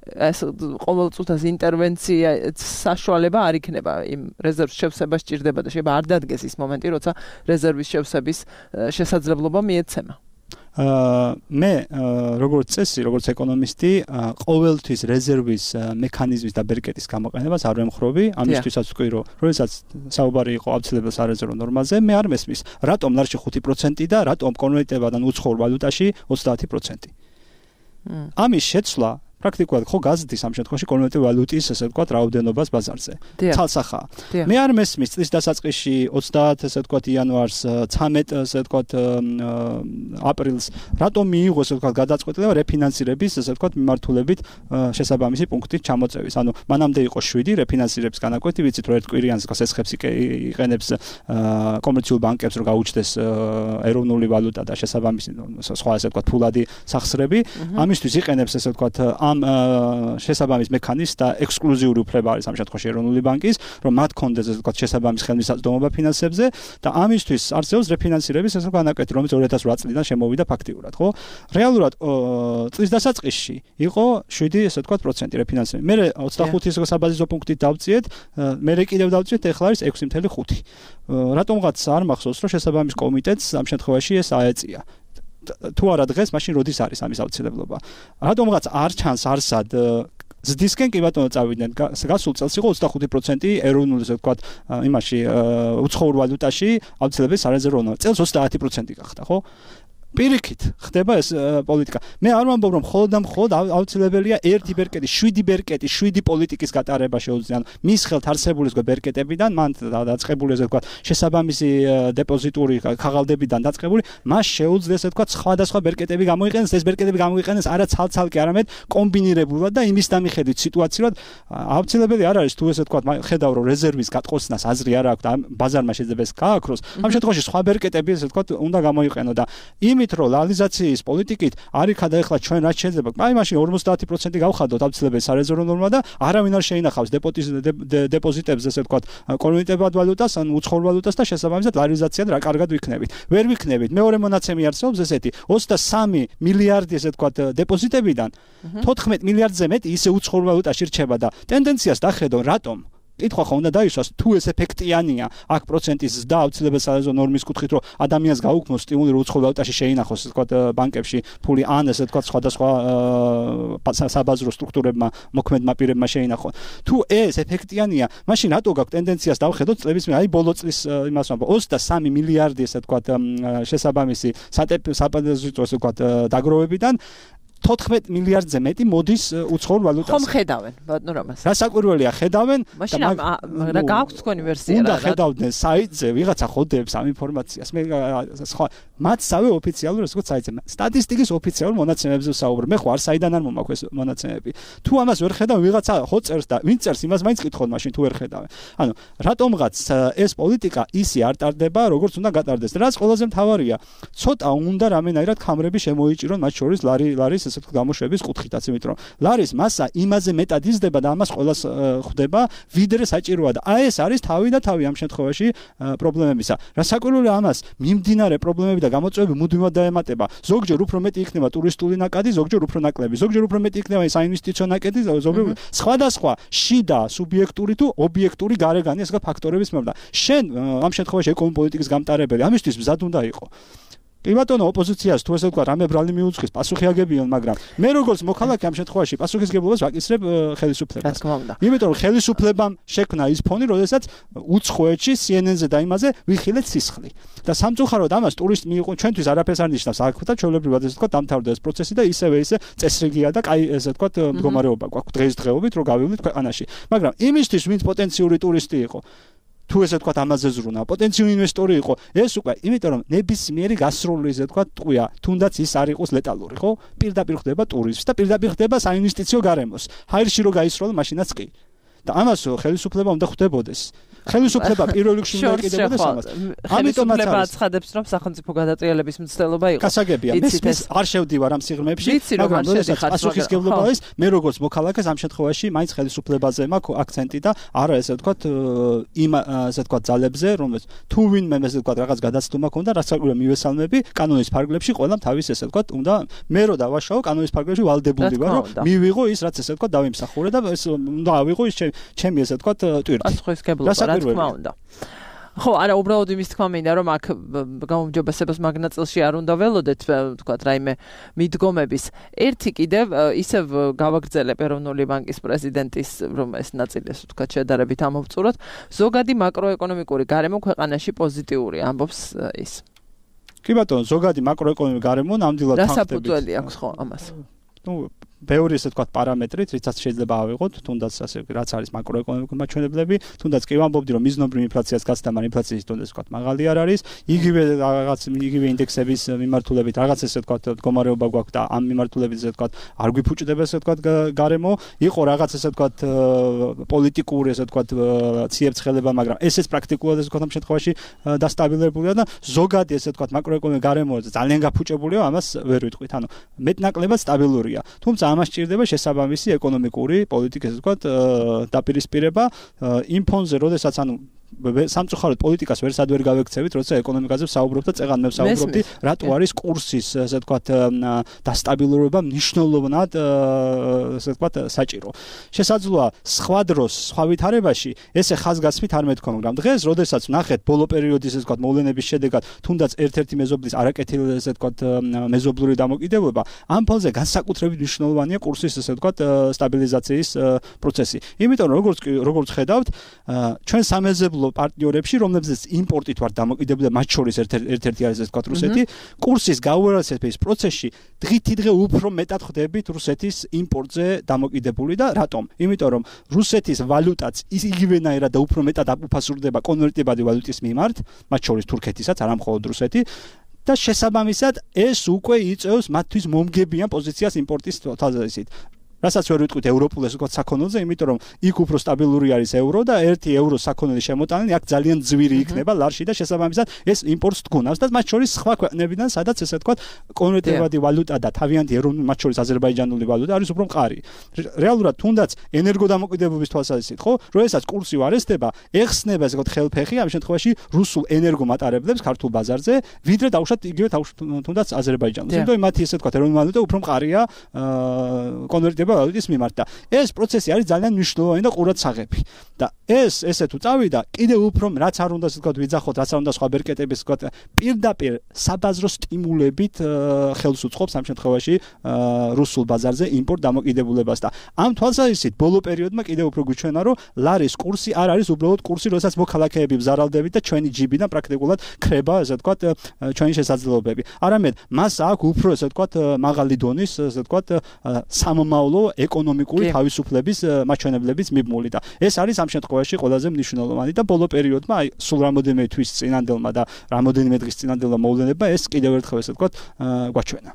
ეს ყოველწუთას ინტერვენცია საშუალება არ იქნება იმ რეზერვს შევსება სჭირდება და შეიძლება არ დადგეს ის მომენტი, როცა რეზერვის შევსების შესაძლებლობა მიეცემა. მე როგორც წესი, როგორც ეკონომისტი, ყოველთვის რეზერვის მექანიზმის და ბერკეტის გამოყენებას არ ვემხრობი, ამისთვისაც ვთქვი, რომ როდესაც საუბარი იყო აუცილებელ სარეზერვო ნორმაზე, მე არ მესმის, რატომ ლარში ხუთი პროცენტი და რატომ კონვერტირებადან უცხოურ ვალუტაში ოცდაათი პროცენტი. ამის შეცვლა პრაქტიკულად ხო გაზრდის ამ შემთხვევაში კონვერტირებული ვალუტის ესე ვთქვათ რაოდენობას ბაზარზე. ცალსახაა. მე არ მესმის წლის დასაწყისში ოცდაათი ესე ვთქვათ იანვარს, ცამეტი ესე ვთქვათ აპრილს, რატომ მიიღო ესე ვთქვათ გადაწყვეტილება რეფინანსირების ესე ვთქვათ მიმართულებით შესაბამისი პუნქტით ჩამოწევის. ანუ მანამდე იყო შვიდი რეფინანსირების განაკვეთი, ვიცით რომ ერთ კვირიანს ესხებს იყენებს კომერციულ ბანკებს რომ გაუჩნდეს ეროვნული ვალუტა და შესაბამისი სხვა ესე ვთქვათ ფულადი სახსრები. ამისთვის იყენებს ესე ვთქვათ ამ შესაბამის მექანიზმს და ექსკლუზიური უფლება არის ამ შემთხვევაში ეროვნული ბანკის, რომ მათ კონდეს ესე ვთქვათ შესაბამის ხელმისაწვდომობა ფინანსებზე და ამისთვის არსებობს რეფინანსირების ესე განაკვეთი, რომელიც ორი ათას ოთხ წლიდან შემოვიდა ფაქტიურად, ხო? რეალურად წლის დასაწყისში იყო შვიდი ესე ვთქვათ პროცენტი რეფინანსირება. მე ოცდახუთი ესე საბაზისო პუნქტით დავწიეთ, მე კიდევ დავწიეთ, ეხლა არის ექვსი ხუთი ხუთი. რატომღაც არ მახსოვს, რომ შესაბამის კომიტეტს ამ შემთხვევაში ეს აეწია. თუ არა დღეს, მაშინ როდის არის ამის აუცილებლობა. რატომღაც არ ჩანს არსად ზდისკენ კი ბატონო წავიდნენ. გასულ წელს იყო ოცდახუთი პროცენტი ეროვნულ ესე ვთქვათ იმაში უცხოურ ვალუტაში აუცილებელი სარეზერვო ნორმა. წელს ოცდაათი პროცენტი გახდა, ხო? პირიქით ხდება ეს პოლიტიკა. მე არ ვამბობ რომ მხოლოდ და მხოლოდ აუცილებელია ერთი ბერკეტი, შვიდი ბერკეტი, შვიდი პოლიტიკის გატარება შეუძლია. მის ხელთ არსებული ზოგ ბერკეტებიდან, მან დაწყებული ესე ვთქვათ შესაბამისი დეპოზიტური ქაღალდებიდან დაწყებული, მას შეუძლია ესე ვთქვათ სხვადასხვა ბერკეტები გამოიყენოს, ეს ბერკეტები გამოიყენოს არა ცალ-ცალკე, არამედ კომბინირებულად და იმის დამიხედვით სიტუაციურად აუცილებელი არ არის თუ ესე ვთქვათ ხედავ რომ რეზერვის გატყოსნას აზრი არ აქვს და ბაზარმა შეიძლება ეს გააქროს. ამ შემთხვევაში სხვა ბერკეტები ესე ვთქვათ უნდა გამოიყენო და იმით რომ ლალიზაციის პოლიტიკით არ იქადა ეხლა ჩვენ რაც შეიძლება. აი მაშინ ორმოცდაათი პროცენტი გავხადოთ აუცილებელი სარეზერვო ნორმა და არავინ არ შეინახავს დეპოზიტებს ესე ვთქვათ კონვერტირებად ვალუტას ან უცხოურ ვალუტას და შესაბამისად ლალიზაციად რა კარგად ვიქნებით. ვერ ვიქნებით. მეორე მონაცემი არსებობს ესეთი ოცდასამი მილიარდი ესე ვთქვათ დეპოზიტებიდან თოთხმეტი მილიარდზე მეტი ისე უცხოურ ვალუტაში რჩება და ტენდენციას დახედო რატომ? კითხვა ხო უნდა დაისვას თუ ეს ეფექტიანია აქ პროცენტის და აუცილებელ სარეზერვო ნორმის კუთხით რომ ადამიანს გაუქმოს სტიმული რომ უცხოურ ვალუტაში შეინახოს ესე ვთქვათ ბანკებში ფული ან ესე ვთქვათ სხვადასხვა საბაზრო სტრუქტურებმა მოქმედმა პირებმა შეინახონ. თუ ეს ეფექტიანია, მაშინ რატო გაქვს ტენდენციას დავხედოთ წლების მე აი ბოლო წლის იმას ვამბობ ოცდასამი მილიარდი ესე ვთქვათ შესაბამისი საპოზიტრო ესე ვთქვათ დაგროვებიდან თოთხმეტი მილიარდზე მეტი მოდის უცხოურ ვალუტაზე. ხომ ხედავენ, ბატონო რამას. რა საკვირველია ხედავენ? მაშინ რა გააქვს თქვენი ვერსია რა? უნდა ხედავდნენ საიტზე, ვიღაცა ხოდებს ამ ინფორმაციას. მე სხვა მათსავე ოფიციალურ ესე ვთქვათ საიტზე. სტატისტიკის ოფიციალურ მონაცემებზე ვსაუბრობ. მე ხო არ საიდან არ მომაქვს ეს მონაცემები. თუ ამას ვერ ხედავ, ვიღაცა ხო წერს და ვინ წერს იმას მაინც კითხოთ მაშინ თუ ვერ ხედავენ. ანუ რატომღაც ეს პოლიტიკა ისი არ ტარდება, როგორც უნდა გატარდეს. რაც ყველაზე მთავარია, ცოტა უნდა რამენაირად კამრები შემოიჭირონ მათ შორის ლარი ლარის ესე ვთქვათ გამოშვების კუთხითაც, იმიტომ რომ ლარის მასა იმაზე მეტად იზრდება და ამას ყველას ხვდება, ვიდრე საჭიროა და აი ეს არის თავი და თავი ამ შემთხვევაში პრობლემებისა. რა საკვირველია ამას მიმდინარე პრობლემები და გამოწვევები მუდმივად დაემატება. ზოგჯერ უფრო მეტი იქნება ტურისტული ნაკადი, ზოგჯერ უფრო ნაკლები, ზოგჯერ უფრო მეტი იქნება საინვესტიციო ნაკადი, ზოგჯერ სხვადასხვა შიდა სუბიექტური თუ ობიექტური გარეგანი ესე ფაქტორების მიმართ. შენ ამ შემთხვევაში ეკონომიკურ-პოლიტიკის გამტარებელი ამისთვის მზად უნდა იყო. კი ბატონო ოპოზიციას თუ ესე ვთქვათ რამე ბრალი მიუძღვის პასუხი აგებიონ, მაგრამ მე როგორც მოქალაქე ამ შემთხვევაში პასუხისგებლობას ვაკისრებ ხელისუფლებას. რა თქმა უნდა. იმიტომ რომ ხელისუფლებამ შექმნა ის ფონი, როდესაც უცხოეთში C N N-ზე და იმაზე ვიხილეთ სისხლი. და სამწუხაროდ ამას ტურისტ მიიღო ჩვენთვის არაფერს არ ნიშნავს. აქ და ჩვეულებრივად ესე ვთქვათ დამთავრდა ეს პროცესი და ისევე ისე წესრიგია და კაი ესე ვთქვათ მდგომარეობა გვაქვს დღესდღეობით რომ გავივლით ქვეყანაში. მაგრამ იმისთვის ვინც პოტენციური ტურისტი იყო თუ ესე ვთქვათ ამაზე ზრუნა, პოტენციური ინვესტორი იყო, ეს უკვე, იმიტომ რომ ნებისმიერი გასროლი ესე ვთქვათ ტყვია, თუნდაც ის არ იყოს ლეტალური, ხო? პირდაპირ ხდება ტურიზმს და პირდაპირ ხდება საინვესტიციო გარემოს. ჰაერში რო გაისროლო, მაშინაც კი. და ამას ხელისუფლება უნდა ხვდებოდეს. ხელისუფლება პირველ რიგში უნდა ეკიდებოდეს ამას. ამიტომაც აცხადებს, რომ სახელმწიფო გადატრიალების მცდელობა იყო. გასაგებია, მე არ შევდივარ ამ სიღრმეებში, მაგრამ როდესაც პასუხისგებლობა არის, მე როგორც მოქალაქეს ამ შემთხვევაში მაინც ხელისუფლებაზე მაქვს აქცენტი და არა ესე ვთქვათ იმ ასე ვთქვათ ძალებზე, რომელიც თუ ვინმე ესე ვთქვათ რაღაც გადაცდომა ქონდა, რაც საკვირა მივესალმები კანონის ფარგლებში, ყველამ თავის ესე ვთქვათ უნდა მე რო დავაშაო კანონის ფარგლებში ვალდებული ვარ, რომ მივიღო ის რაც ესე ვთქვათ დავიმსახურე და ეს უნდა ავიღო ის ჩემი ესე ვთქვათ ტვირთი. პასუხისგებლობა რა თქმა უნდა. ხო, არა, უბრალოდ იმის თქმა მინდა, რომ აქ გაუმჯობესებას მაგნაწილში არ უნდა ველოდეთ, ვთქვათ, რაიმე მიდგომების. ერთი კიდევ ისევ გავაგრძელებ ეროვნული ბანკის პრეზიდენტის, რომ ეს ნაწილი ასე ვთქვათ, შედარებით ამოვწუროთ, ზოგადი მაკროეკონომიკური გარემო ქვეყანაში პოზიტიური, ამბობს ის. კი ბატონო, ზოგადი მაკროეკონომიკური გარემო ნამდვილად თანხდებით. რა საფუძველი აქვს ხო ამას? ნუ ბევრი ესე ვთქვათ პარამეტრით, რითაც შეიძლება ავიღოთ, თუნდაც ასე რაც არის მაკროეკონომიკური მაჩვენებლები, თუნდაც კი ვამბობდი, რომ მიზნობრივ ინფლაციას გაცდა, მაგრამ ინფლაციის დონე ასე ვთქვათ მაღალი არ არის. იგივე რაღაც იგივე ინდექსების მიმართულებით რაღაც ესე ვთქვათ მდგომარეობა გვაქვს და ამ მიმართულებით ესე ვთქვათ არ გვიფუჭდება ესე ვთქვათ გარემო. იყო რაღაც ესე ვთქვათ პოლიტიკური ესე ვთქვათ ციებ-ცხელება, მაგრამ ესეც პრაქტიკულად ესე ვთქვათ ამ შემთხვევაში დასტაბილურებულია და ზოგადი ესე ვთქვათ მაკროეკონომიკური გარემო ძალიან გაფუჭებულია, ამას ვერ ვიტყვით. ანუ მეტნაკლებად სტაბილურია. თუმცა ამას ჭირდება შესაბამისი ეკონომიკური პოლიტიკის ასე ვთქვათ დაპირისპირება იმ ფონზე, როდესაც ანუ სამწუხაროდ პოლიტიკას ვერსად ვერ გავექცევით, როცა ეკონომიკაზე ვსაუბრობთ და წეღან მე ვსაუბრობდი, რატო არის კურსის ასე ვთქვათ დასტაბილურება მნიშვნელოვნად ასე ვთქვათ საჭირო. შესაძლოა სხვა დროს, სხვა ვითარებაში ესე ხაზგასმით არ მეთქვა, მაგრამ დღეს, როდესაც ვნახეთ ბოლო პერიოდის ასე ვთქვათ მოვლენების შედეგად, თუნდაც ერთ-ერთი მეზობლის არაკეთილი ასე ვთქვათ მეზობლური დამოკიდებულება, ამ ფონზე განსაკუთრებით მნიშვნელოვანია კურსის ასე ვთქვათ სტაბილიზაციის პროცესი. იმიტომ რომ როგორც როგორც ხედავთ, ჩვენ სამეზობლო პარტნიორებში, რომლებზეც იმპორტით ვარ დამოკიდებული, მათ შორის ერთ-ერთი არის ეს ვთქვათ რუსეთი, კურსის გაუარესების პროცესში დღითი დღე უფრო მეტად ხდებით რუსეთის იმპორტზე დამოკიდებული და რატომ? იმიტომ რომ რუსეთის ვალუტაც იგივენაირად და უფრო მეტად აფასურდება კონვერტირებადი ვალუტის მიმართ, მათ შორის თურქეთისაც, არა მხოლოდ რუსეთი. და შესაბამისად ეს უკვე იწევს მათთვის მომგებიან პოზიციას იმპორტის თვალსაზრისით. რასაც ვერ ვიტყვით ევროპულ ასე ვთქვათ საქონელზე, იმიტომ რომ იქ უფრო სტაბილური არის ევრო და ერთი ევრო საქონელი შემოტანილი აქ ძალიან ძვირი იქნება ლარში და შესაბამისად ეს იმპორტს თქუნავს და მათ შორის სხვა ქვეყნებიდან, სადაც ესე ვთქვათ კონვერტირებადი ვალუტა და თავიანთი ეროვნული, მათ შორის აზერბაიჯანული ვალუტა არის უფრო მყარი. რეალურად თუნდაც ენერგოდამოკიდებობის თვალსაზრისით, ხო, როდესაც კურსი ვარესდება, ეხსნება ესე ვთქვათ ხელფეხი ამ შემთხვევაში რუსულ ენერგომატარებლებს ქართულ ბაზარზე, ვიდრე დავუშვათ იგივე თუნდაც აზერბაიჯანულს. იმიტომ რომ მათი ესე ვთქვათ ეროვნული ვალუტა უფრო მყარია კონვერტირებადი ვალუტის მიმართ და ეს პროცესი არის ძალიან მნიშვნელოვანი და ყურადსაღები. და ეს ესე თუ წავიდა, კიდევ უფრო რაც არ უნდა ასე ვთქვათ ვიძახოთ, რაც არ უნდა სხვა ბერკეტების ვთქვათ პირდაპირ საბაზრო სტიმულებით ხელს უწყობს ამ შემთხვევაში რუსულ ბაზარზე იმპორტ დამოკიდებულებას და ამ თვალსაზრისით ბოლო პერიოდმა კიდევ უფრო გვიჩვენა, რომ ლარის კურსი არ არის უბრალოდ კურსი, როდესაც მოქალაქეები ვზარალდებით და ჩვენი ჯიბიდან პრაქტიკულად ქრება ასე ვთქვათ ჩვენი შესაძლებლობები. არამედ მას აქვს უფრო ასე ვთქვათ მაღალი დონის ასე ვთქვათ სამომავლო ეკონომიკური თავისუფლების მაჩვენებლების მიბმული და ეს არის ამ შემთხვევაში ყველაზე მნიშვნელოვანი და ბოლო პერიოდმა აი სულ რამოდენიმე თვის წინანდელმა და რამოდენიმე დღის წინანდელმა მოვლენებმა ეს კიდევ ერთხელ ესე ვთქვათ გვაჩვენა.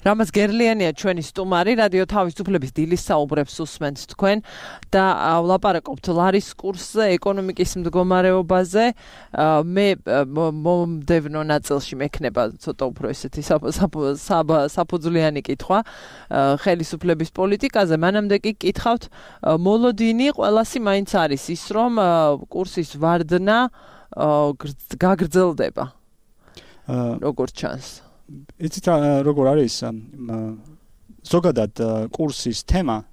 რამაც გერლიანია ჩვენი სტუმარი, რადიო თავისუფლების დილის საუბრებს უსმენთ თქვენ და ვლაპარაკობთ ლარის კურსზე, ეკონომიკის მდგომარეობაზე. მე მომდევნო ნაწილში მექნება ცოტა უფრო ესეთი საფუძვლიანი კითხვა ხელისუფლების პოლიტიკაზე. მანამდე კი კითხავთ, მოლოდინი ყველასი მაინც არის ის, რომ კურსის ვარდნა გაგრძელდება. როგორც ჩანს. იცით როგორ არის ზოგადად კურსის თემა,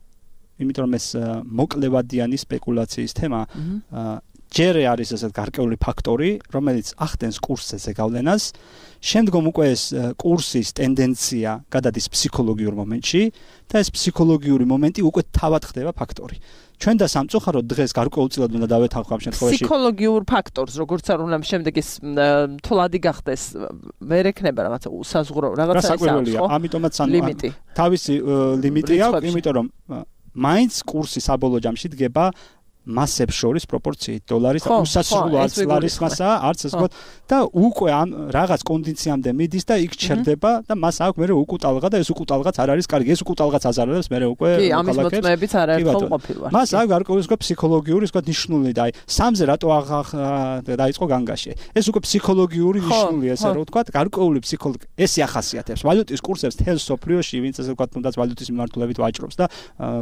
იმიტომ რომ ეს მოკლევადიანი სპეკულაციის თემა ჯერ არის ესეთ გარკვეული ფაქტორი, რომელიც ახდენს კურსზე ზეგავლენას, შემდგომ უკვე ეს კურსის ტენდენცია გადადის ფსიქოლოგიურ მომენტში და ეს ფსიქოლოგიური მომენტი უკვე თავად ხდება ფაქტორი. ჩვენ და სამწუხაროდ დღეს გარკვეულწილად უნდა დავეთანხმო ამ შემთხვევაში. ფსიქოლოგიურ ფაქტორს, როგორც არ უნდა შემდეგ ის თვლადი გახდეს, ვერ ექნება რაღაცა უსაზღვრო რაღაცა ის აქვს, ხო? ამიტომაც თავისი ლიმიტი აქვს, იმიტომ რომ მაინც კურსი საბოლოო ჯამში დგება მასებს შორის პროპორციით დოლარის და უსასრულო არც ლარისხმასაა, არც ეს ვთქვათ და უკვე ამ რაღაც კონდიციამდე მიდის და იქ ჩერდება და მას აქვს მე უკუტალღა და ეს უკუტალღაც არ არის კარგი, ეს უკუტალღაც აზარებს მე უკვე კი, ამის მოწმეებიც არაერთხელ ყოფილვარ. მას აქვს გარკვეული ვთქვათ ფსიქოლოგიური ვთქვათ ნიშნული და აი სამზე რატო დაიწყო განგაში. ეს უკვე ფსიქოლოგიური ნიშნული ესე რომ ვთქვათ, გარკვეული ფსიქოლოგი ეს ახასიათებს. ვალუტის კურსებს თელ სოფლიოში, ვინც ესე ვთქვათ, თუნდაც ვალუტის მიმართულებით ვაჭრობს და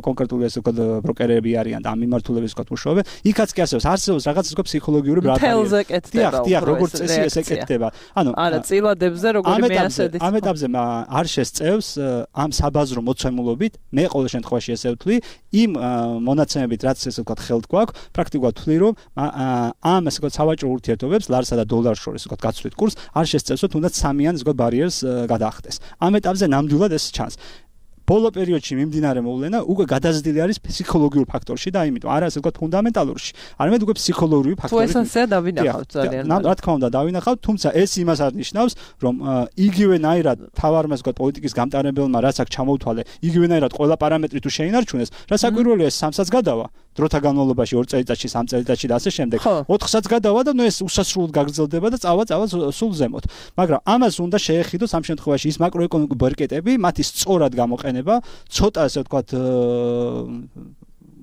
კონკრეტული ესე ვთქვათ ბროკერები არიან და ამ მიმართულებით ვთქვათ მუშაობენ. იქაც კი არსებობს, არსებობს რაღაც ისე ფსიქოლოგიური ბრატარია. თელზე კეთდება. დიახ, როგორც წესი ესე კეთდება. ანუ არა, წილადებზე როგორი მეასედის. ამ ეტაპზე არ შესწევს ამ საბაზრო მოცემულობით, მე ყოველ შემთხვევაში ესე ვთვლი, იმ მონაცემებით რაც ესე ვთქვათ ხელთ გვაქვს, პრაქტიკულად ვთვლი რომ ამ ესე ვთქვათ სავაჭრო ურთიერთობებს ლარსა და დოლარს შორის ესე ვთქვათ გაცვლით კურს არ შესწევს რომ თუნდაც სამიან ესე ვთქვათ ბარიერს გადაახდეს. ამ ეტაპზე ნამდვილად ეს ჩანს. ბოლო პერიოდში მიმდინარე მოვლენა უკვე გადაზრდილი არის ფსიქოლოგიურ ფაქტორში და იმიტომ არა ასე ვთქვათ ფუნდამენტალურში. არამედ უკვე ფსიქოლოგიური ფაქტორი. თუ ესეა დავინახავთ ძალიან. რა თქმა უნდა დავინახავთ, თუმცა ეს იმას არ ნიშნავს, რომ იგივენაირად თავარმა ასე ვთქვათ პოლიტიკის გამტარებელმა რაც აქ ჩამოუთვალე, იგივენაირად ყველა პარამეტრი თუ შეინარჩუნეს, რა საკვირველია სამსაც გადავა. დროთა განმავლობაში ორ წელიწადში, სამ წელიწადში და ასე შემდეგ. ოთხსაც გადავა და ნუ ეს უსასრულოდ გაგრძელდება და წავა წავა სულ ზემოთ. მაგრამ ამას უნდა შეეხიდოს ამ შემთხვევაში ის მაკროეკონომიკური ბერკეტები, მათი სწორად გამოყენება, ცოტა ასე ვთქვათ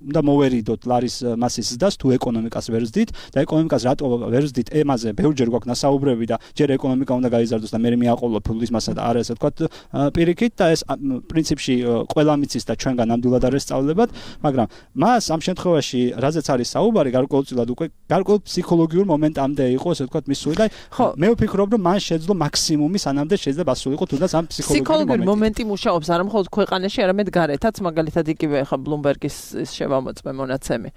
და მოვერიდოთ ლარის მასის ზრდას თუ ეკონომიკას ვერ ზრდით და ეკონომიკას რატო ვერ ზრდით ემაზე ბევრჯერ გვაქვს ნასაუბრები და ჯერ ეკონომიკა უნდა გაიზარდოს და მე მეაყოლო ფულის მასა და არა ასე ვთქვათ პირიქით და ეს პრინციპში ყველა მიცის და ჩვენგან ნამდვილად არ ესწავლებათ მაგრამ მას ამ შემთხვევაში რაზეც არის საუბარი გარკვეულწილად უკვე გარკვეულ ფსიქოლოგიურ მომენტამდე იყო ასე ვთქვათ მისული და მე ვფიქრობ რომ მან შეძლო მაქსიმუმი სანამდე შეიძლება ასულიყო თუნდაც ამ ფსიქოლოგიური მომენტი მუშაობს არა მხოლოდ ქვეყანაში არამედ გარეთაც მაგალითად იგივე ხა ბლუმბერგის შემოწმე მონაცემი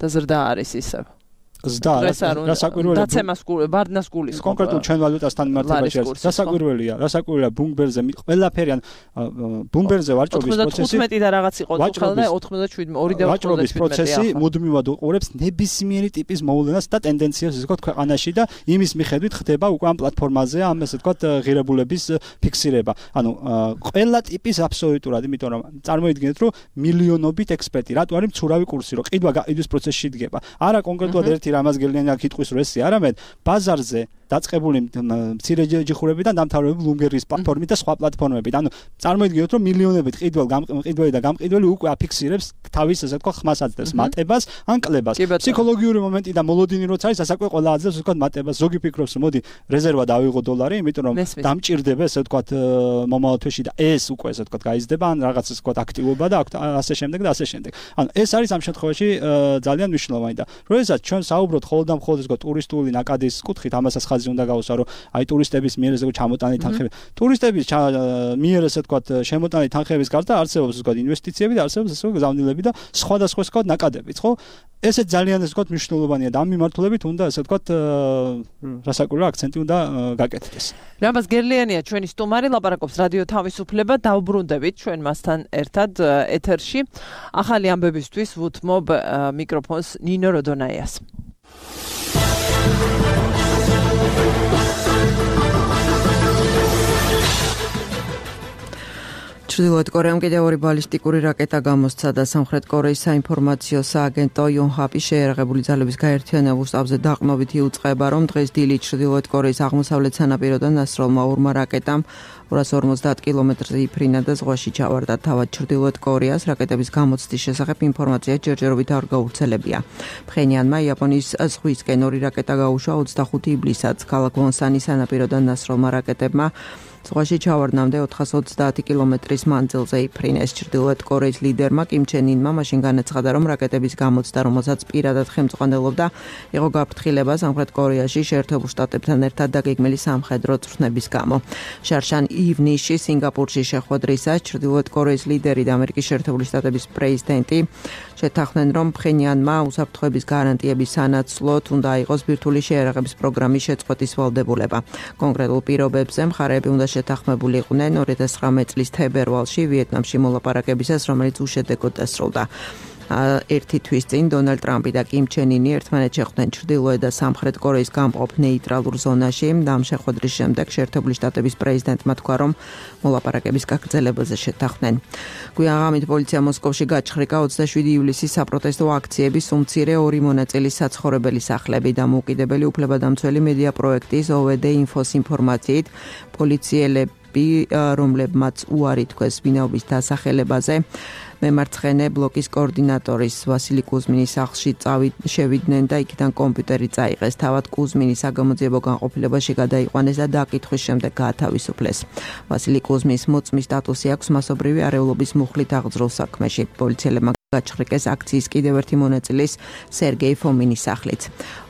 და ზრდა არის ისევ. ზრდა რა საკვირველია დაცემას ბარდნას გულის კონკრეტულ ჩვენ ვალუტასთან მიმართებაში არის რა საკვირველია რა საკვირველია ბლუმბერგზე ყველაფერი ან ბლუმბერგზე ვაჭრობის პროცესი ოთხმეტი და რაღაც იყო თქო და ოთხმოცდაშვიდი ორი და ვაჭრობის პროცესი მუდმივად უყურებს ნებისმიერი ტიპის მოვლენას და ტენდენციას ისე ვთქვათ ქვეყანაში და იმის მიხედვით ხდება უკვე ამ პლატფორმაზე ამ ესე ვთქვათ ღირებულების ფიქსირება ანუ ყველა ტიპის აბსოლუტურად იმიტომ რომ წარმოიდგინეთ რომ მილიონობით ექსპერტი რატო არის მცურავი კურსი რომ ყიდვა გაყიდვის პროცესში იდგება არა კონკრეტულად ერთი რამას გელიანი აქ იტყვის რომ ესე არამედ ბაზარზე დაწყებული მცირე ჯიხურები და დამთავრებული ბლუმბერგის პლატფორმით და სხვა პლატფორმებით. ანუ წარმოიდგინოთ რომ მილიონობით ყიდველ გამყიდველი და გამყიდველი უკვე აფიქსირებს თავის ასე ვთქვათ ხმას აძლევს მატებას ან კლებას. ფსიქოლოგიური მომენტი და მოლოდინი როცა არის ასაკვე ყველა აძლევს ასე ვთქვათ მატებას. ზოგი ფიქრობს რომ მოდი რეზერვა დავიღო დოლარი, იმიტომ რომ დამჭირდება ასე ვთქვათ მომავალ თვეში და ეს უკვე ასე ვთქვათ გაიზრდება ან რაღაც ასე ვთქვათ აქტივობა და ასე შემდეგ და ასე შემდეგ. ანუ ეს არის ამ შემთხვევაში ძალიან მნიშვნელოვანი და როდესაც ჩვენ საუბრობთ ხოლმე და მხოლოდ ასე ვთქვათ ტურისტული ნაკადის კუთხით ამასაც უნდა გავუსვა რომ აი ტურისტების მიერ ესე ჩამოტანილი თანხები. ტურისტების მიერ ესე ვთქვათ შემოტანილი თანხების გარდა არსებობს ესე ვთქვათ ინვესტიციები და არსებობს ესე გზავნილები და სხვადასხვა ესე ვთქვათ ნაკადებიც, ხო? ესე ძალიან ესე ვთქვათ მნიშვნელოვანია და ამ მიმართულებით უნდა ესე ვთქვათ რასაკვირველია აქცენტი უნდა გაკეთდეს. რამაზ გერლიანია ჩვენი სტუმარი ლაპარაკობს რადიო თავისუფლება დავბრუნდებით ჩვენ მასთან ერთად ეთერში. ახალი ამბებისთვის ვუთმობ მიკროფონს ნინო როდონაიას. ჩრდილოეთ კორეამ კიდევ ორი ბალისტიკური რაკეტა გამოსცა და სამხრეთ კორეის საინფორმაციო სააგენტო იონჰაპი შეერაღებული ძალების გაერთიანებულ შტაბზე დაყრდნობით იუწყება, რომ დღეს დილით ჩრდილოეთ კორეის აღმოსავლეთ სანაპიროდან დასროლმა ორმა რაკეტამ ორას ორმოცდაათ კილომეტრზე იფრინა და ზღვაში ჩავარდა. თავად ჩრდილოეთ კორეას რაკეტების გამოცდის შესახებ ინფორმაცია ჯერჯერობით არ გავრცელებია. ფხენიანმა იაპონიის ზღვისკენ ორი რაკეტა გაუშვა ოცდახუთი ივლისს ქალაქ ვონსანის სანაპიროდან დასროლმა რაკეტებმა ზღვაში ჩავარდნამდე ოთხას ოცდაათი კილომეტრის მანძილზე იფრინეს. ჩრდილოეთ კორეის ლიდერმა კიმ ჩენ ინმა მაშინ განაცხადა, რომ რაკეტების გამოცდა, რომელსაც პირადად ხელმძღვანელობდა, იყო გაფრთხილება სამხრეთ კორეაში შეერთებულ შტატებთან ერთად დაგეგმილი სამხედრო წვრთნების გამო. შარშან ივნისში სინგაპურში შეხვედრისას ჩრდილოეთ კორეის ლიდერი და ამერიკის შეერთებული შტატების პრეზიდენტი შეთანხმდნენ, რომ ფხენიანმა უსაფრთხოების გარანტიების სანაცვლოდ უნდა იყოს ბირთვული შეერაღების პროგრამის შეწყვეტის ვალდებულება. კონკრეტულ პირობებზე მხარეები უნდა შეთანხმებულიყვნენ ორი ათას ცხრამეტი წლის თებერვალში ვიეტნამში მოლაპარაკებისას, რომელიც უშედეგოდ დასრულდა. ერთი თვის წინ დონალდ ტრამპი და კიმ ჩენ ინი ერთმანეთს შეხვდნენ ჩრდილოეთ და სამხრეთ კორეის გამყოფ ნეიტრალურ ზონაში. ამ შეხვედრის შემდეგ შეერთებული შტატების პრეზიდენტმა თქვა, რომ მოლაპარაკების გაგრძელებაზე შეთანხმდნენ. გვიანღამით პოლიცია მოსკოვში გაჩხრიკა ოცდაშვიდი ივლისის საპროტესტო აქციების უმცირე ორი მონაწილის საცხოვრებელი სახლები. დამოუკიდებელი უფლებადამცველი მედია პროექტის ო ვე დე ინფოს ინფორმაციით პოლიციელები, რომლებმაც უარი თქვეს ვინაობის დასახელებაზე, მემარცხენე ბლოკის კოორდინატორის ვასილი კუზმინის სახლში შევიდნენ და იქიდან კომპიუტერი წაიღეს. თავად კუზმინი საგამოძიებო განყოფილებაში გადაიყვანეს და დაკითხვის შემდეგ გაათავისუფლეს. ვასილი კუზმინის მოწმის სტატუსი აქვს მასობრივი არეულობის მუხლით აღძრულ საქმეში. პოლიციელებმა გაჩხრიკეს აქციის კიდევ ერთი მონაწილის სერგეი ფომინის სახლიც.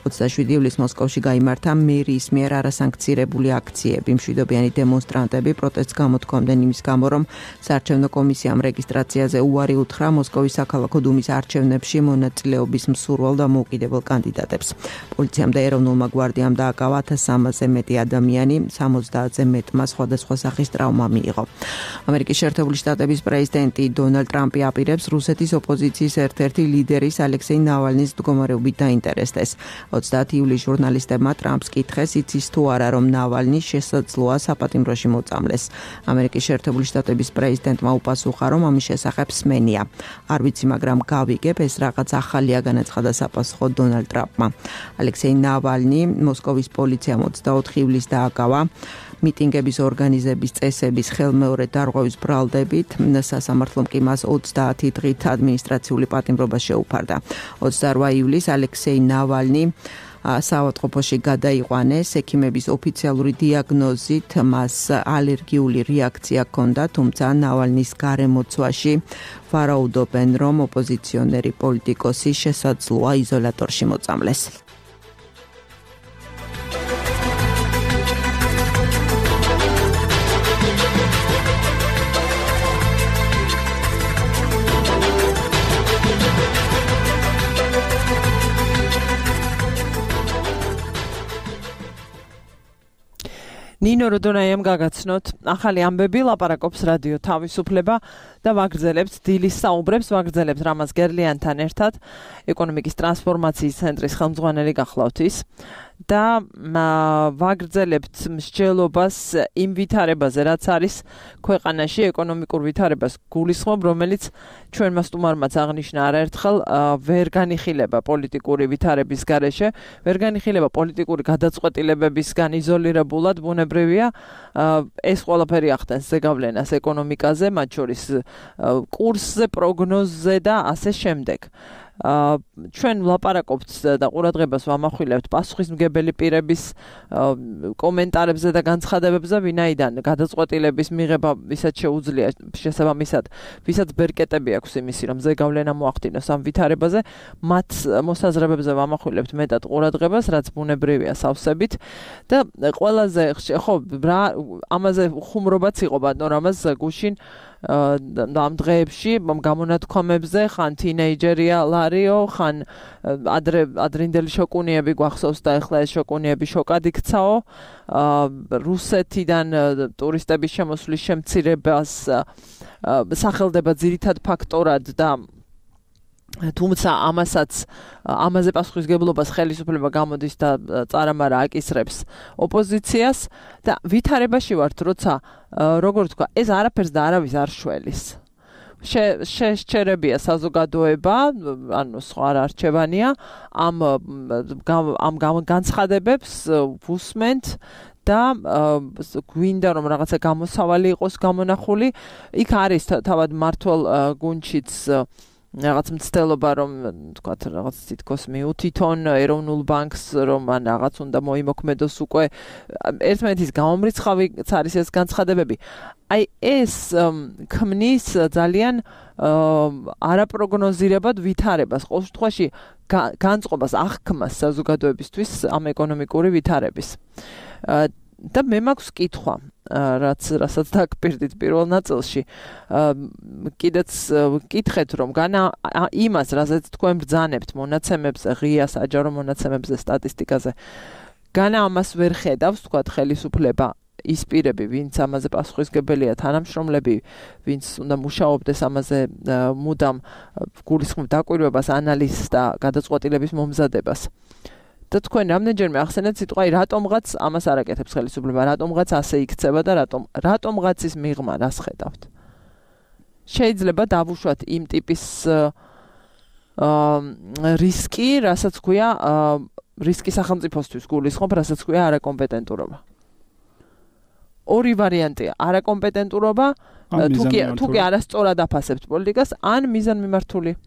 ოცდაშვიდი ივლისს მოსკოვში გაიმართა მერიის მიერ არასანქცირებული აქციები. მშვიდობიანი დემონსტრანტები პროტესტს გამოთქვამდნენ იმის გამო, რომ საარჩევნო კომისიამ რეგისტრაციაზე უარი უთხრა მოსკოვის საქალაქო დუმის არჩევნებში მონაწილეობის მსურვალ და მოუკიდებელ კანდიდატებს. პოლიციამ და ეროვნულმა გვარდიამ დააკავა ათას სამასზე მეტი ადამიანი, სამოცდაათზე მეტმა სხვადასხვა სახის ტრავმა მიიღო. ამერიკის შეერთებული შტატების პრეზიდენტი დონალდ ტრამპი აპირებს რუსეთის ოპოზიციის ერთ-ერთი ლიდერის ალექსეი ნავალნის მდგომარეობით დაინტერესდეს. ოცდაათი ივლისს ჟურნალისტებმა ტრამპს კითხეს, იცის თუ არა, რომ ნავალნი შესაძლოა საპატიმროში მოწამლეს. ამერიკის შეერთებული შტატების პრეზიდენტმა უპასუხა, რომ ამის შესახებ სმენია. არ ვიცი, მაგრამ გავიგებ, ეს რაღაც ახალია, განაცხადა საპასუხო დონალდ ტრამპმა. ალექსეი ნავალნი მოსკოვის პოლიციამ ოცდაოთხი ივლისს დააკავა მიტინგების ორგანიზების წესების ხელმეორე დარღვევის ბრალდებით. სასამართლომ კი მას ოცდაათი დღით ადმინისტრაციული პატიმრობა შეუფარდა. ოცდაოთხი ივლისს ალექსეი ნავალნი საავადმყოფოში გადაიყვანეს. ექიმების ოფიციალური დიაგნოზით მას ალერგიული რეაქცია ჰქონდა, თუმცა ნავალნის გარემოცვაში ვარაუდობენ, რომ ოპოზიციონერი პოლიტიკოსი შესაძლოა იზოლატორში მოწამლეს. ნინო როდონაიამ გაგაცნოთ, ახალი ამბები, ლაპარაკობს რადიო თავისუფლება და ვაგრძელებთ დილის საუბრებს, ვაგრძელებთ რამაზ გერლიანთან ერთად, ეკონომიკის ტრანსფორმაციის ცენტრის ხელმძღვანელი გახლავთ ის და ვაგრძელებთ მსჯელობას იმ ვითარებაზე, რაც არის ქვეყანაში ეკონომიკურ ვითარებას გულისხმობ, რომელიც ჩვენმა სტუმარმაც აღნიშნა არაერთხელ, ვერ განიხილება პოლიტიკური ვითარების გარეშე, ვერ განიხილება პოლიტიკური გადაწყვეტილებებისგან იზოლირებულად, ბუნებრივია, ეს ყველაფერი ახდენს ზეგავლენას ეკონომიკაზე, მათ შორის კურსზე, პროგნოზზე და ასე შემდეგ. ჩვენ ვლაპარაკობთ და ყურადღებას ვამახვილებთ პასუხისმგებელი პირების კომენტარებზე და განცხადებებზე, ვინაიდან გადაწყვეტილების მიღება ვისაც შეუძლია შესაბამისად, ვისაც ბერკეტები აქვს იმისი, რომ ზეგავლენა მოახდინოს ამ ვითარებაზე, მათ მოსაზრებებზე ვამახვილებთ მეტად ყურადღებას, რაც ბუნებრივია სავსებით და ყველაზე ხო ამაზე ხუმრობაც იყო ბატონ რამაზ გუშინ ამ დღეებში გამონათქვამებზე, ხან თინეიჯერია ლარიო, ხან ადრე ადრინდელი შოკუნიები გვახსოვს და ეხლა ეს შოკუნიები შოკად იქცაო. რუსეთიდან ტურისტების შემოსვლის შემცირებას სახელდება ძირითად ფაქტორად და თუმცა ამასაც ამაზე პასუხისგებლობას ხელისუფლება გამოდის და წარამარა აკისრებს ოპოზიციას და ვითარებაში ვართ, როცა როგორ თქვა, ეს არაფერს და არავის არ შველის. შეშჩერებია საზოგადოება, ანუ სხვა არ არჩევანია, ამ ამ განცხადებებს ვუსმენთ და გვინდა რომ რაღაცა გამოსავალი იყოს გამონახული. იქ არის თავად მართლ გუნჩიც რაღაც მცდელობა, რომ თქვათ რაღაც თითქოს მიუთითონ ეროვნულ ბანკს, რომ ან რაღაც უნდა მოიმოქმედოს უკვე ერთმანეთის გამომრიცხავიც არის ეს განცხადებები. აი ეს ქმნის ძალიან არაპროგნოზირებად ვითარებას, ყოველ შემთხვევაში განწყობას აღქმას საზოგადოებისთვის ამ ეკონომიკური ვითარების. და მე მაქვს კითხვა, რაც რასაც დაგპირდით პირველ ნაწილში. კიდეც კითხეთ, რომ განა იმას, რასაც თქვენ ბრძანებთ მონაცემებზე, ღია საჯარო მონაცემებზე, სტატისტიკაზე, განა ამას ვერ ხედავს, თქვათ ხელისუფლება ის პირები, ვინც ამაზე პასუხისმგებელია, თანამშრომლები, ვინც უნდა მუშაობდეს ამაზე მუდამ გულისხმობ დაკვირვებას, ანალიზს და გადაწყვეტილების მომზადებას. და თქვენ რამდენჯერმე ახსენეთ სიტყვა, რატომღაც ამას არ აკეთებს ხელისუფლება, რატომღაც ასე იქცება და რატომ რატომღაც ის მიღმა რას ხედავთ? შეიძლება დავუშვათ იმ ტიპის რისკი, რასაც ქვია რისკი სახელმწიფოსთვის გულისხმობ, რასაც ქვია არაკომპეტენტურობა. ორი ვარიანტია, არაკომპეტენტურობა, თუ კი არასწორად აფასებთ პოლიტიკას, ან მიზანმიმართული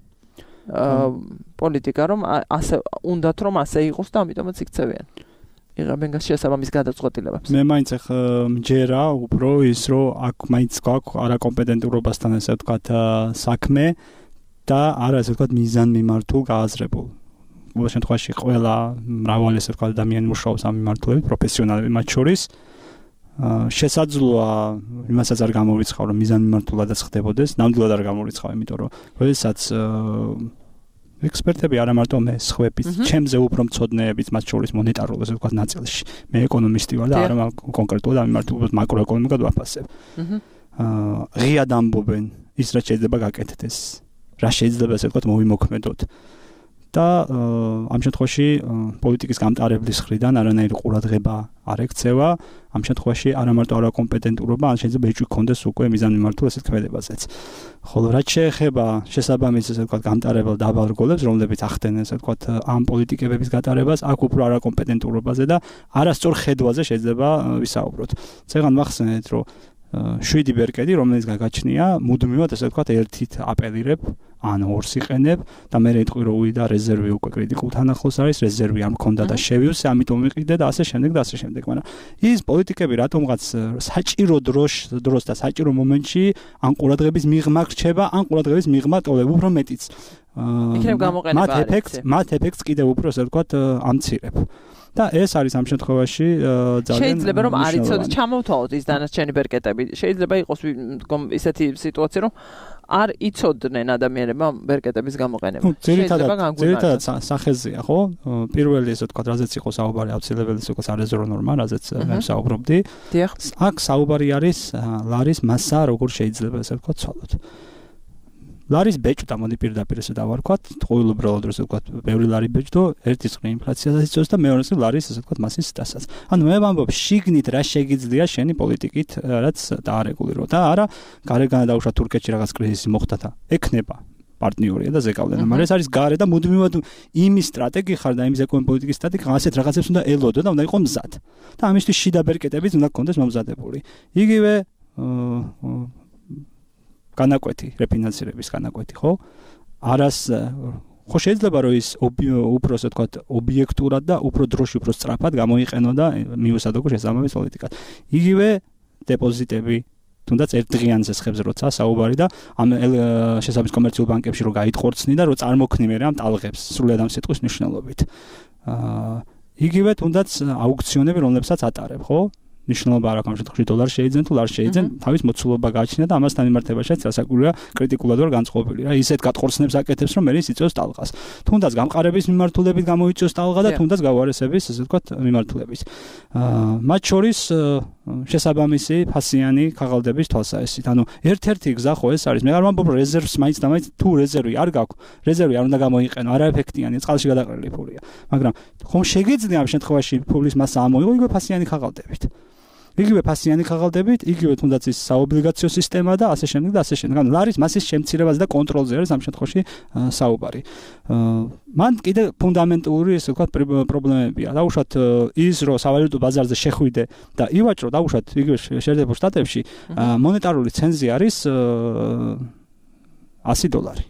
პოლიტიკა, რომ ასე უნდათ რომ ასე იყოს და ამიტომაც იქცევიან. იღებენ შესაბამის გადაწყვეტილებებს. მე მაინც ახ მჯერა უფრო ის რომ აქ მაინც გვაქვს არაკომპეტენტურობასთან ესე ვთქვათ საქმე და არა ესე ვთქვათ მიზანმიმართულ გააზრებულ. ყოველ შემთხვევაში ყველა მრავალი ესე ვთქვათ ადამიანი მუშაობს ამ მიმართულებით, პროფესიონალები მათ შორის. შესაძლოა იმასაც არ გამოვიცხავ რომ მიზანმიმართულადაც ხდებოდეს, ნამდვილად არ გამოვიცხავ, იმიტომ რომ როდესაც ექსპერტები არა მარტო მე, სხვების, ჩემზე უფრო მცოდნეებიც მათ შორის მონეტარულ ესე ვთქვათ ნაწილში. მე ეკონომისტი ვარ და არა კონკრეტულად ამ მიმართულებით მაკროეკონომიკად ვაფასებ. აა ღიად ამბობენ ის რაც შეიძლება გაკეთდეს, რა შეიძლება ესე ვთქვათ მოვიმოქმედოთ. და ამ შემთხვევაში პოლიტიკის გამტარებლის მხრიდან არანაირი ყურადღება არ ექცევა, ამ შემთხვევაში არა მარტო არაკომპეტენტურობა, ან შეიძლება ეჭვი გქონდეს უკვე მიზანმიმართულ ესეთ ქმედებაზეც. ხოლო რაც შეეხება შესაბამის ესე ვთქვათ გამტარებელ დაბალ რგოლებს, რომლებიც ახდენენ ესე ვთქვათ ამ პოლიტიკებების გატარებას, აქ უფრო არაკომპეტენტურობაზე და არასწორ ხედვაზე შეიძლება ვისაუბროთ. წეგან მახსენეთ, რომ შვიდი ბერკეტი, რომელიც გაგაჩნია, მუდმივად ესე ვთქვათ ერთით აპელირებ, ან ორს იყენებ და მე რეთყვი რომ უვიდა რეზერვი უკვე კრიტიკულთან ახლოს არის, რეზერვი არ მქონდა და შევივსე, ამიტომ ვიყიდე და ასე შემდეგ და ასე შემდეგ, მაგრამ ის პოლიტიკები რატომღაც საჭირო დროს დროს და საჭირო მომენტში ან ყურადღების მიღმა რჩება, ან ყურადღების მიღმა ტოლებ, უფრო მეტიც. იქნებ გამოყენება მათ ეფექტს, მათ ეფექტს კიდევ უფრო ესე ვთქვათ ამცირებ. და ეს არის ამ შემთხვევაში ძალიან შეიძლება რომ არ იცოდეთ, ჩამოვთვალოთ ის დანარჩენი ბერკეტები. შეიძლება იყოს ისეთი სიტუაცია, რომ არ იცოდნენ ადამიანებმა ბერკეტების გამოყენება. შეიძლება ძირითადად სახეზეა, ხო? პირველი ესე ვთქვათ, რაზეც იყო საუბარი, აუცილებელი ისე ვთქვათ, არეზერვო ნორმა, რაზეც მე ვსაუბრობდი. აქ საუბარი არის ლარის მასა, როგორ შეიძლება ესე ვთქვათ, ცვალოთ. ლარის ბეჭდა მოდი პირდაპირ ესე დავარქვათ, ყოველუბრალოდ ესე ვთქვათ, ბევრი ლარი ბეჭდო, ერთი წრე ინფლაციასაც იწვევს და მეორე წრე ლარის ესე ვთქვათ მასის დასას. ანუ მე ვამბობ, შიგნით რა შეგიძლია შენი პოლიტიკით, რაც დაარეგულირო და არა, გარეგანა დაუშვათ თურქეთში რაღაც კრიზისი მოხდა და ეკნება პარტნიორია და ზეკავდენა, მაგრამ ეს არის გარე და მუდმივად იმის სტრატეგი ხარ და იმის ეკონომიკური პოლიტიკის სტრატეგი ასეთ რაღაცებს უნდა ელოდო და უნდა იყოს მზად. და ამისთვის შიდა ბერკეტებიც უნდა გქონდეს მომზადებული. იგივე განაკვეთი, რეფინანსირების განაკვეთი, ხო? არას ხო შეიძლება რომ ის უფრო ასე ვთქვათ, ობიექტურად და უფრო დროში, უფრო სწრაფად გამოიყენო და მიუსადო შესაბამის პოლიტიკას. იგივე დეპოზიტები, თუნდაც ერთდღიან ზესხებზე როცა საუბარი და ამ შესაბამის კომერციულ ბანკებში რო გაიტყორცნი და რო წარმოქმნი მე ამ ტალღებს სრულად ამ სიტყვის მნიშვნელობით. აა იგივე თუნდაც აუქციონები, რომლებსაც ატარებ, ხო? ნიშნულობა არ აქვს ამ შემთხვევაში დოლარი შეიძენ თუ ლარი შეიძენ, თავის მოცულობა გააჩნია და ამასთან მიმართებაშიც რასაკვირია კრიტიკულად ვარ განწყობილი რა. ისეთ გატყორცნებს აკეთებს, რომ მე ის იწევს ტალღას. თუნდაც გამყარების მიმართულებით გამოიწევს ტალღა და თუნდაც გავარესების, ასე ვთქვათ, მიმართულებით. აა მათ შორის შესაბამისი ფასიანი ქაღალდების თვალსაჩინო. ანუ ერთ-ერთი გზა ხო ეს არის. მე არ ვამბობ რეზერვს მაინც და მაინც თუ რეზერვი არ გაქვს, რეზერვი არ უნდა გამოიყენო, არაეფექტიანი, წყალში გადაყრილი ფულია. მაგრამ ხომ შეგეძლია ამ შემთხვევაში ფულის მასა ამოიღო იგივე ფასიანი ქაღალდებით. იგივე ფასიანი ქაღალდებით, იგივე თუნდაც ის საობლიგაციო სისტემა და ასე შემდეგ და ასე შემდეგ. ანუ ლარის მასის შემცირებაზე და კონტროლზე არის ამ შემთხვევაში საუბარი. მან კიდე ფუნდამენტური ესე ვთქვათ პრობლემებია. დაუშვათ ის რომ სავალუტო ბაზარზე შეხვიდე და ივაჭრო, დაუშვათ იგივე შეერთებულ შტატებში მონეტარული ცენზი არის ასი დოლარი.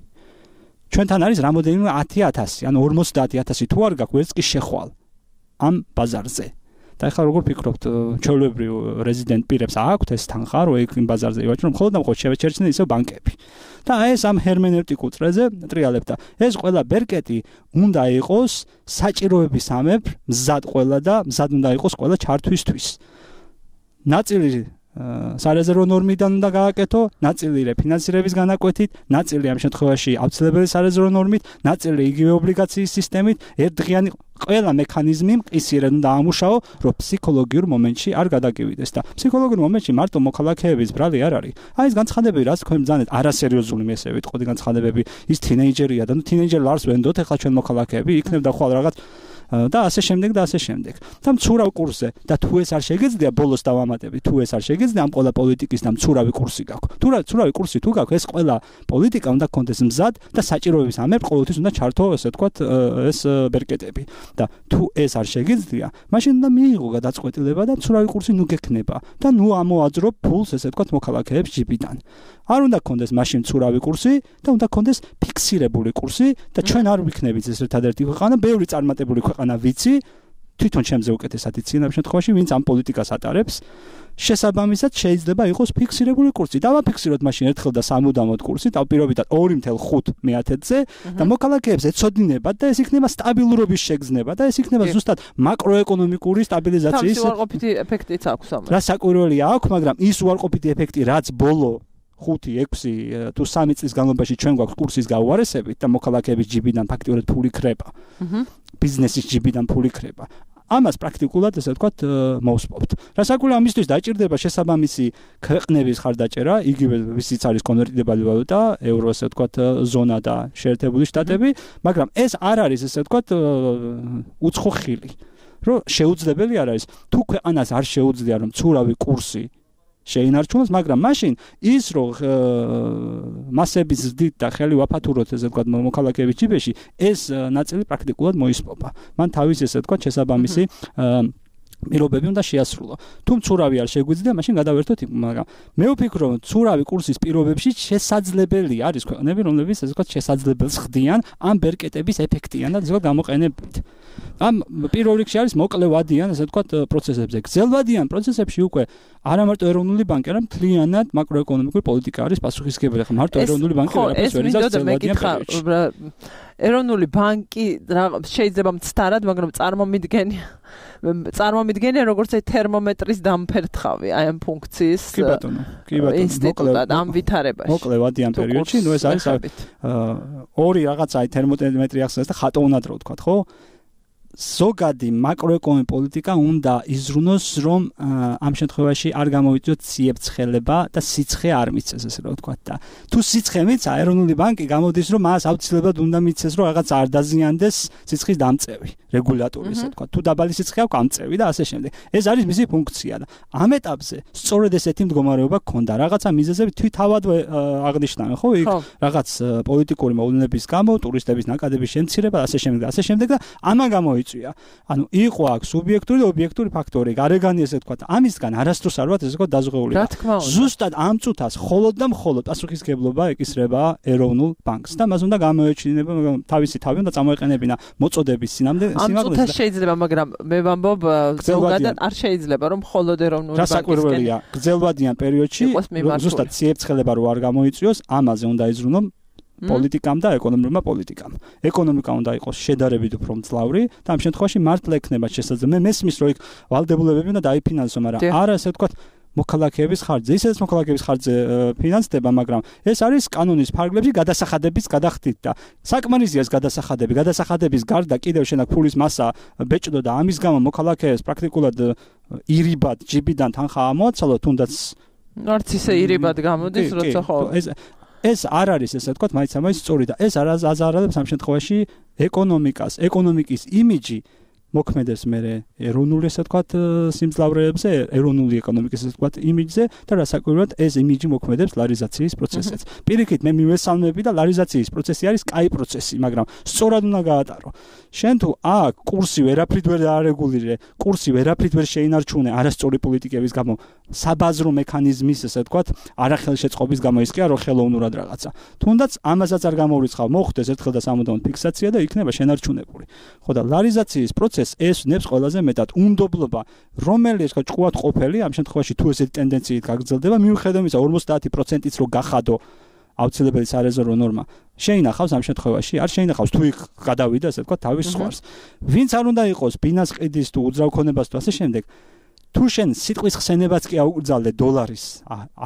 ჩვენთან არის რამოდენიმე ათი ათასი, ანუ ორმოცდაათი ათასი თუ არ გაქვს ვერც კი შეხვალ ამ ბაზარზე. და ახლა როგორ ფიქრობთ, ჩვეულებრივ რეზიდენტ პირებს აქვთ ეს თანხა, რომ იქ იმ ბაზარზე ივაჭრონ, მხოლოდ და მხოლოდ შევეჩერცნენ ისევ ბანკები. და ეს ამ ჰერმენევტიკულ წრეზე ტრიალებ და ეს ყველა ბერკეტი უნდა იყოს საჭიროების ამებ მზად ყველა და მზად უნდა იყოს ყველა ჩართვისთვის. ნაწილი სარეზერვო ნორმიდან უნდა გააკეთო, ნაწილი რეფინანსირების განაკვეთით, ნაწილი ამ შემთხვევაში აუცილებელი სარეზერვო ნორმით, ნაწილი იგივე ობლიგაციის სისტემით, ერთდღიანი ყველა მექანიზმი მყისიერად უნდა ამუშაო, რომ ფსიქოლოგიურ მომენტში არ გადაგივიდეს და ფსიქოლოგიურ მომენტში მარტო მოქალაქეების ბრალი არ არის. აი ეს განცხადებები, რაც თქვენ ბრძანეთ, არასერიოზული მე ესე ვიტყოდი განცხადებები, ის თინეიჯერია და ნუ თინეიჯერ ლარს ვენდოთ ახლა ჩვენ მოქალაქეები, იქნებ და ხვალ რაღაც და ასე შემდეგ და ასე შემდეგ. და მცურავ კურსზე და თუ ეს არ შეგეძლია ბოლოს დავამატები, თუ ეს არ შეგეძლია ამ ყველა პოლიტიკის და მცურავი კურსი გაქვს. თუ რა მცურავი კურსი თუ გაქვს, ეს ყველა პოლიტიკა უნდა კონდეს მზად და საჭიროების ამერ ყოველთვის უნდა ჩართო, ესე ვთქვათ, ეს ბერკეტები. და თუ ეს არ შეგეძლია, მაშინ უნდა მიიღო გადაწყვეტილება და მცურავი კურსი ნუ გექნება და ნუ ამოაძრო ფულს, ესე ვთქვათ, მოქალაქეებს ჯიბიდან. არ უნდა კონდეს მაშინ მცურავი კურსი და უნდა კონდეს ფიქსირებული კურსი და ჩვენ არ ვიქნებით ეს ერთადერთი ქვეყანა, ბევრი წარმატებული ქვეყანა ვიცი, თვითონ ჩემზე უკეთესად იციან ამ შემთხვევაში, ვინც ამ პოლიტიკას ატარებს. შესაბამისად შეიძლება იყოს ფიქსირებული კურსი. დავაფიქსიროთ მაშინ ერთხელ და სამუდამოდ კურსი, დავპირობითად ორი კoma ხუთი მეათედზე და მოქალაქეებს ეცოდინებათ და ეს იქნება სტაბილურობის შეგრძნება და ეს იქნება ზუსტად მაკროეკონომიკური სტაბილიზაციის. თავისი უარყოფითი ეფექტიც აქვს ამას. რა საკვირველია აქვს, მაგრამ ის უარყოფითი ეფექტი, რაც ბოლო ხუთი, ექვსი თუ სამი წლის განმავლობაში ჩვენ გვაქვს კურსის გაუარესებით და მოქალაქეების ჯიბიდან ფაქტიურად ფული ხრება. ბიზნესის ჯიბიდან ფული ხრება. ამას პრაქტიკულად ესე ვთქვათ მოვსპობთ. რასაკვირველია ამისთვის დაჭირდება შესაბამისი ქვეყნების ხარდაჭერა, იგივე ვისიც არის კონვერტირებადი ვალუტა, ევრო ესე ვთქვათ ზონა და შეერთებული შტატები, მაგრამ ეს არ არის ესე ვთქვათ უცხო ხილი. რომ შეუძლებელი არ არის. თუ ქვეყანას არ შეუძლია რომ მცურავი კურსი შეინარჩუნოს, მაგრამ მაშინ ის რომ მასების ზრდით და ხელი ვაფათუროთ ესე ვთქვათ მოქალაქეების ჯიბეში, ეს ნაწილი პრაქტიკულად მოისპობა. მან თავის ესე ვთქვათ შესაბამისი მირობები უნდა შეასრულო. თუ მცურავი არ შეგვიძლია, მაშინ გადავერთოთ იქ, მაგრამ მე ვფიქრობ, რომ მცურავი კურსის პირობებში შესაძლებელი არის ქვეყნები, რომლებიც ესე ვთქვათ შესაძლებელს ხდიან ამ ბერკეტების ეფექტიან და ზოგადად გამოყენებით. ამ პირველ რიგში არის მოკლევადიან ესე ვთქვათ პროცესებზე. გრძელვადიან პროცესებში უკვე არა მარტო ეროვნული ბანკი, არამედ მთლიანად მაკროეკონომიკური პოლიტიკა არის პასუხისმგებელი. ხა მარტო ეროვნული ბანკი არაფერს ვერ იზამს გრძელვადიან პერიოდში. ეროვნული ბანკი შეიძლება მცდარად, მაგრამ წარმომიდგენია წარმომიდგენია როგორც აი თერმომეტრის დამფერთხავი აი ამ ფუნქციის კი ბატონო, კი ბატონო, ინსტიტუტად ამ ვითარებაში. მოკლევადიან პერიოდში, ნუ ეს არის ორი რაღაცა აი თერმომეტრი ახსენეს და ხატოვნადრო ვთქვათ, ხო? ზოგადი მაკროეკონომიკური პოლიტიკა უნდა იზრუნოს, რომ ამ შემთხვევაში არ გამოვიწვიოთ ციებ-ცხელება და სიცხე არ მიცეს, ესე რომ ვთქვათ და თუ სიცხე მიცა, ეროვნული ბანკი გამოდის, რომ მას აუცილებლად უნდა მიცეს, რომ რაღაც არ დაზიანდეს სიცხის დამწევი, რეგულატორი, ესე ვთქვათ. თუ დაბალი სიცხე აქვს, ამწევი და ასე შემდეგ. ეს არის მისი ფუნქცია და ამ ეტაპზე სწორედ ესეთი მდგომარეობა გქონდა. რაღაცა მიზეზები თვითავად აღნიშნავენ, ხო? იქ რაღაც პოლიტიკური მოვლენების გამო, ტურისტების ნაკადების შემცირება და ასე შემდეგ და ასე შემდეგ და ამან გამო ანუ იყო აქ სუბიექტური და ობიექტური ფაქტორი, გარეგანი ესე ვთქვათ. ამისგან არასდროს არ ვართ ესე ვთქვათ დაზღვეული. ზუსტად ამ წუთას მხოლოდ და მხოლოდ პასუხისმგებლობა ეკისრება ეროვნულ ბანკს და მას უნდა გამოეჩინება თავისი თავი უნდა წამოეყენებინა მოწოდების სინამდვილე სიმაღლეზე. ამ წუთას შეიძლება, მაგრამ მე ვამბობ ზოგადად არ შეიძლება რომ მხოლოდ ეროვნული ბანკის გასაკვირველია, გრძელვადიან პერიოდში ზუსტად ციებ-ცხელება რო არ გამოიწვიოს, ამაზე უნდა იზრუნო პოლიტიკამ და ეკონომიკურმა პოლიტიკამ. ეკონომიკა უნდა იყოს შედარებით უფრო მძლავრი და ამ შემთხვევაში მართლა ექნება შესაძლებელი. მე მესმის რომ იქ ვალდებულებები უნდა დაიფინანსო, მაგრამ არა ესე ვთქვათ მოქალაქეების ხარჯზე. ისედაც მოქალაქეების ხარჯზე ფინანსდება, მაგრამ ეს არის კანონის ფარგლებში გადასახადების გადახდით და საკმარისია ეს გადასახადები. გადასახადების გარდა კიდევ შენ აქ ფულის მასა ბეჭდო და ამის გამო მოქალაქეებს პრაქტიკულად ირიბად ჯიბიდან თანხა ამოაცალო, თუნდაც არც ისე ირიბად გამოდის, როცა ხო ეს ეს არ არის ესე ვთქვათ, მაინც ამას სწორი და ეს არ აზარალებს ამ შემთხვევაში ეკონომიკას, ეკონომიკის იმიჯი მოქმედებს მე ეროვნული ესე ვთქვათ სიმძლავრეებზე, ეროვნული ეკონომიკის ესე ვთქვათ იმიჯზე და რასაკვირველად ეს იმიჯი მოქმედებს ლარიზაციის პროცესსაც. პირიქით მე მივესალმები და ლარიზაციის პროცესი არის კაი პროცესი, მაგრამ სწორად უნდა გაატარო. შენ თუ აქ კურსი ვერაფრით ვერ არეგულირე, კურსი ვერაფრით ვერ შეინარჩუნე არასწორი პოლიტიკების გამო, საბაზრო მექანიზმის ესე ვთქვათ, არახელშეწყობის გამო ის კი არა ხელოვნურად რაღაცა. თუნდაც ამასაც არ გამოვრიცხავ, მოხდეს ერთხელ და სამუდამოდ ფიქსაცია და იქნება შენარჩუნებული. ხო და ლარიზაციის პროცესი ეს ნებს ყველაზე მეტად უნდობლობა, რომელიც ხო ჭკუად ყოფილი, ამ შემთხვევაში თუ ესეთი ტენდენციით გაგრძელდება, მიუხედავად იმისა ორმოცდაათი პროცენტიც რო გახადო აუცილებელი სარეზერვო ნორმა, შეინახავს ამ შემთხვევაში, არ შეინახავს თუ იქ გადავიდა, ასე ვთქვათ, თავის სხვას. ვინც არ უნდა იყოს ბინას ყიდის თუ უძრავ ქონებას თუ ასე შემდეგ, თუ შენ სიტყვის ხსენებაც კი აუკრძალე დოლარის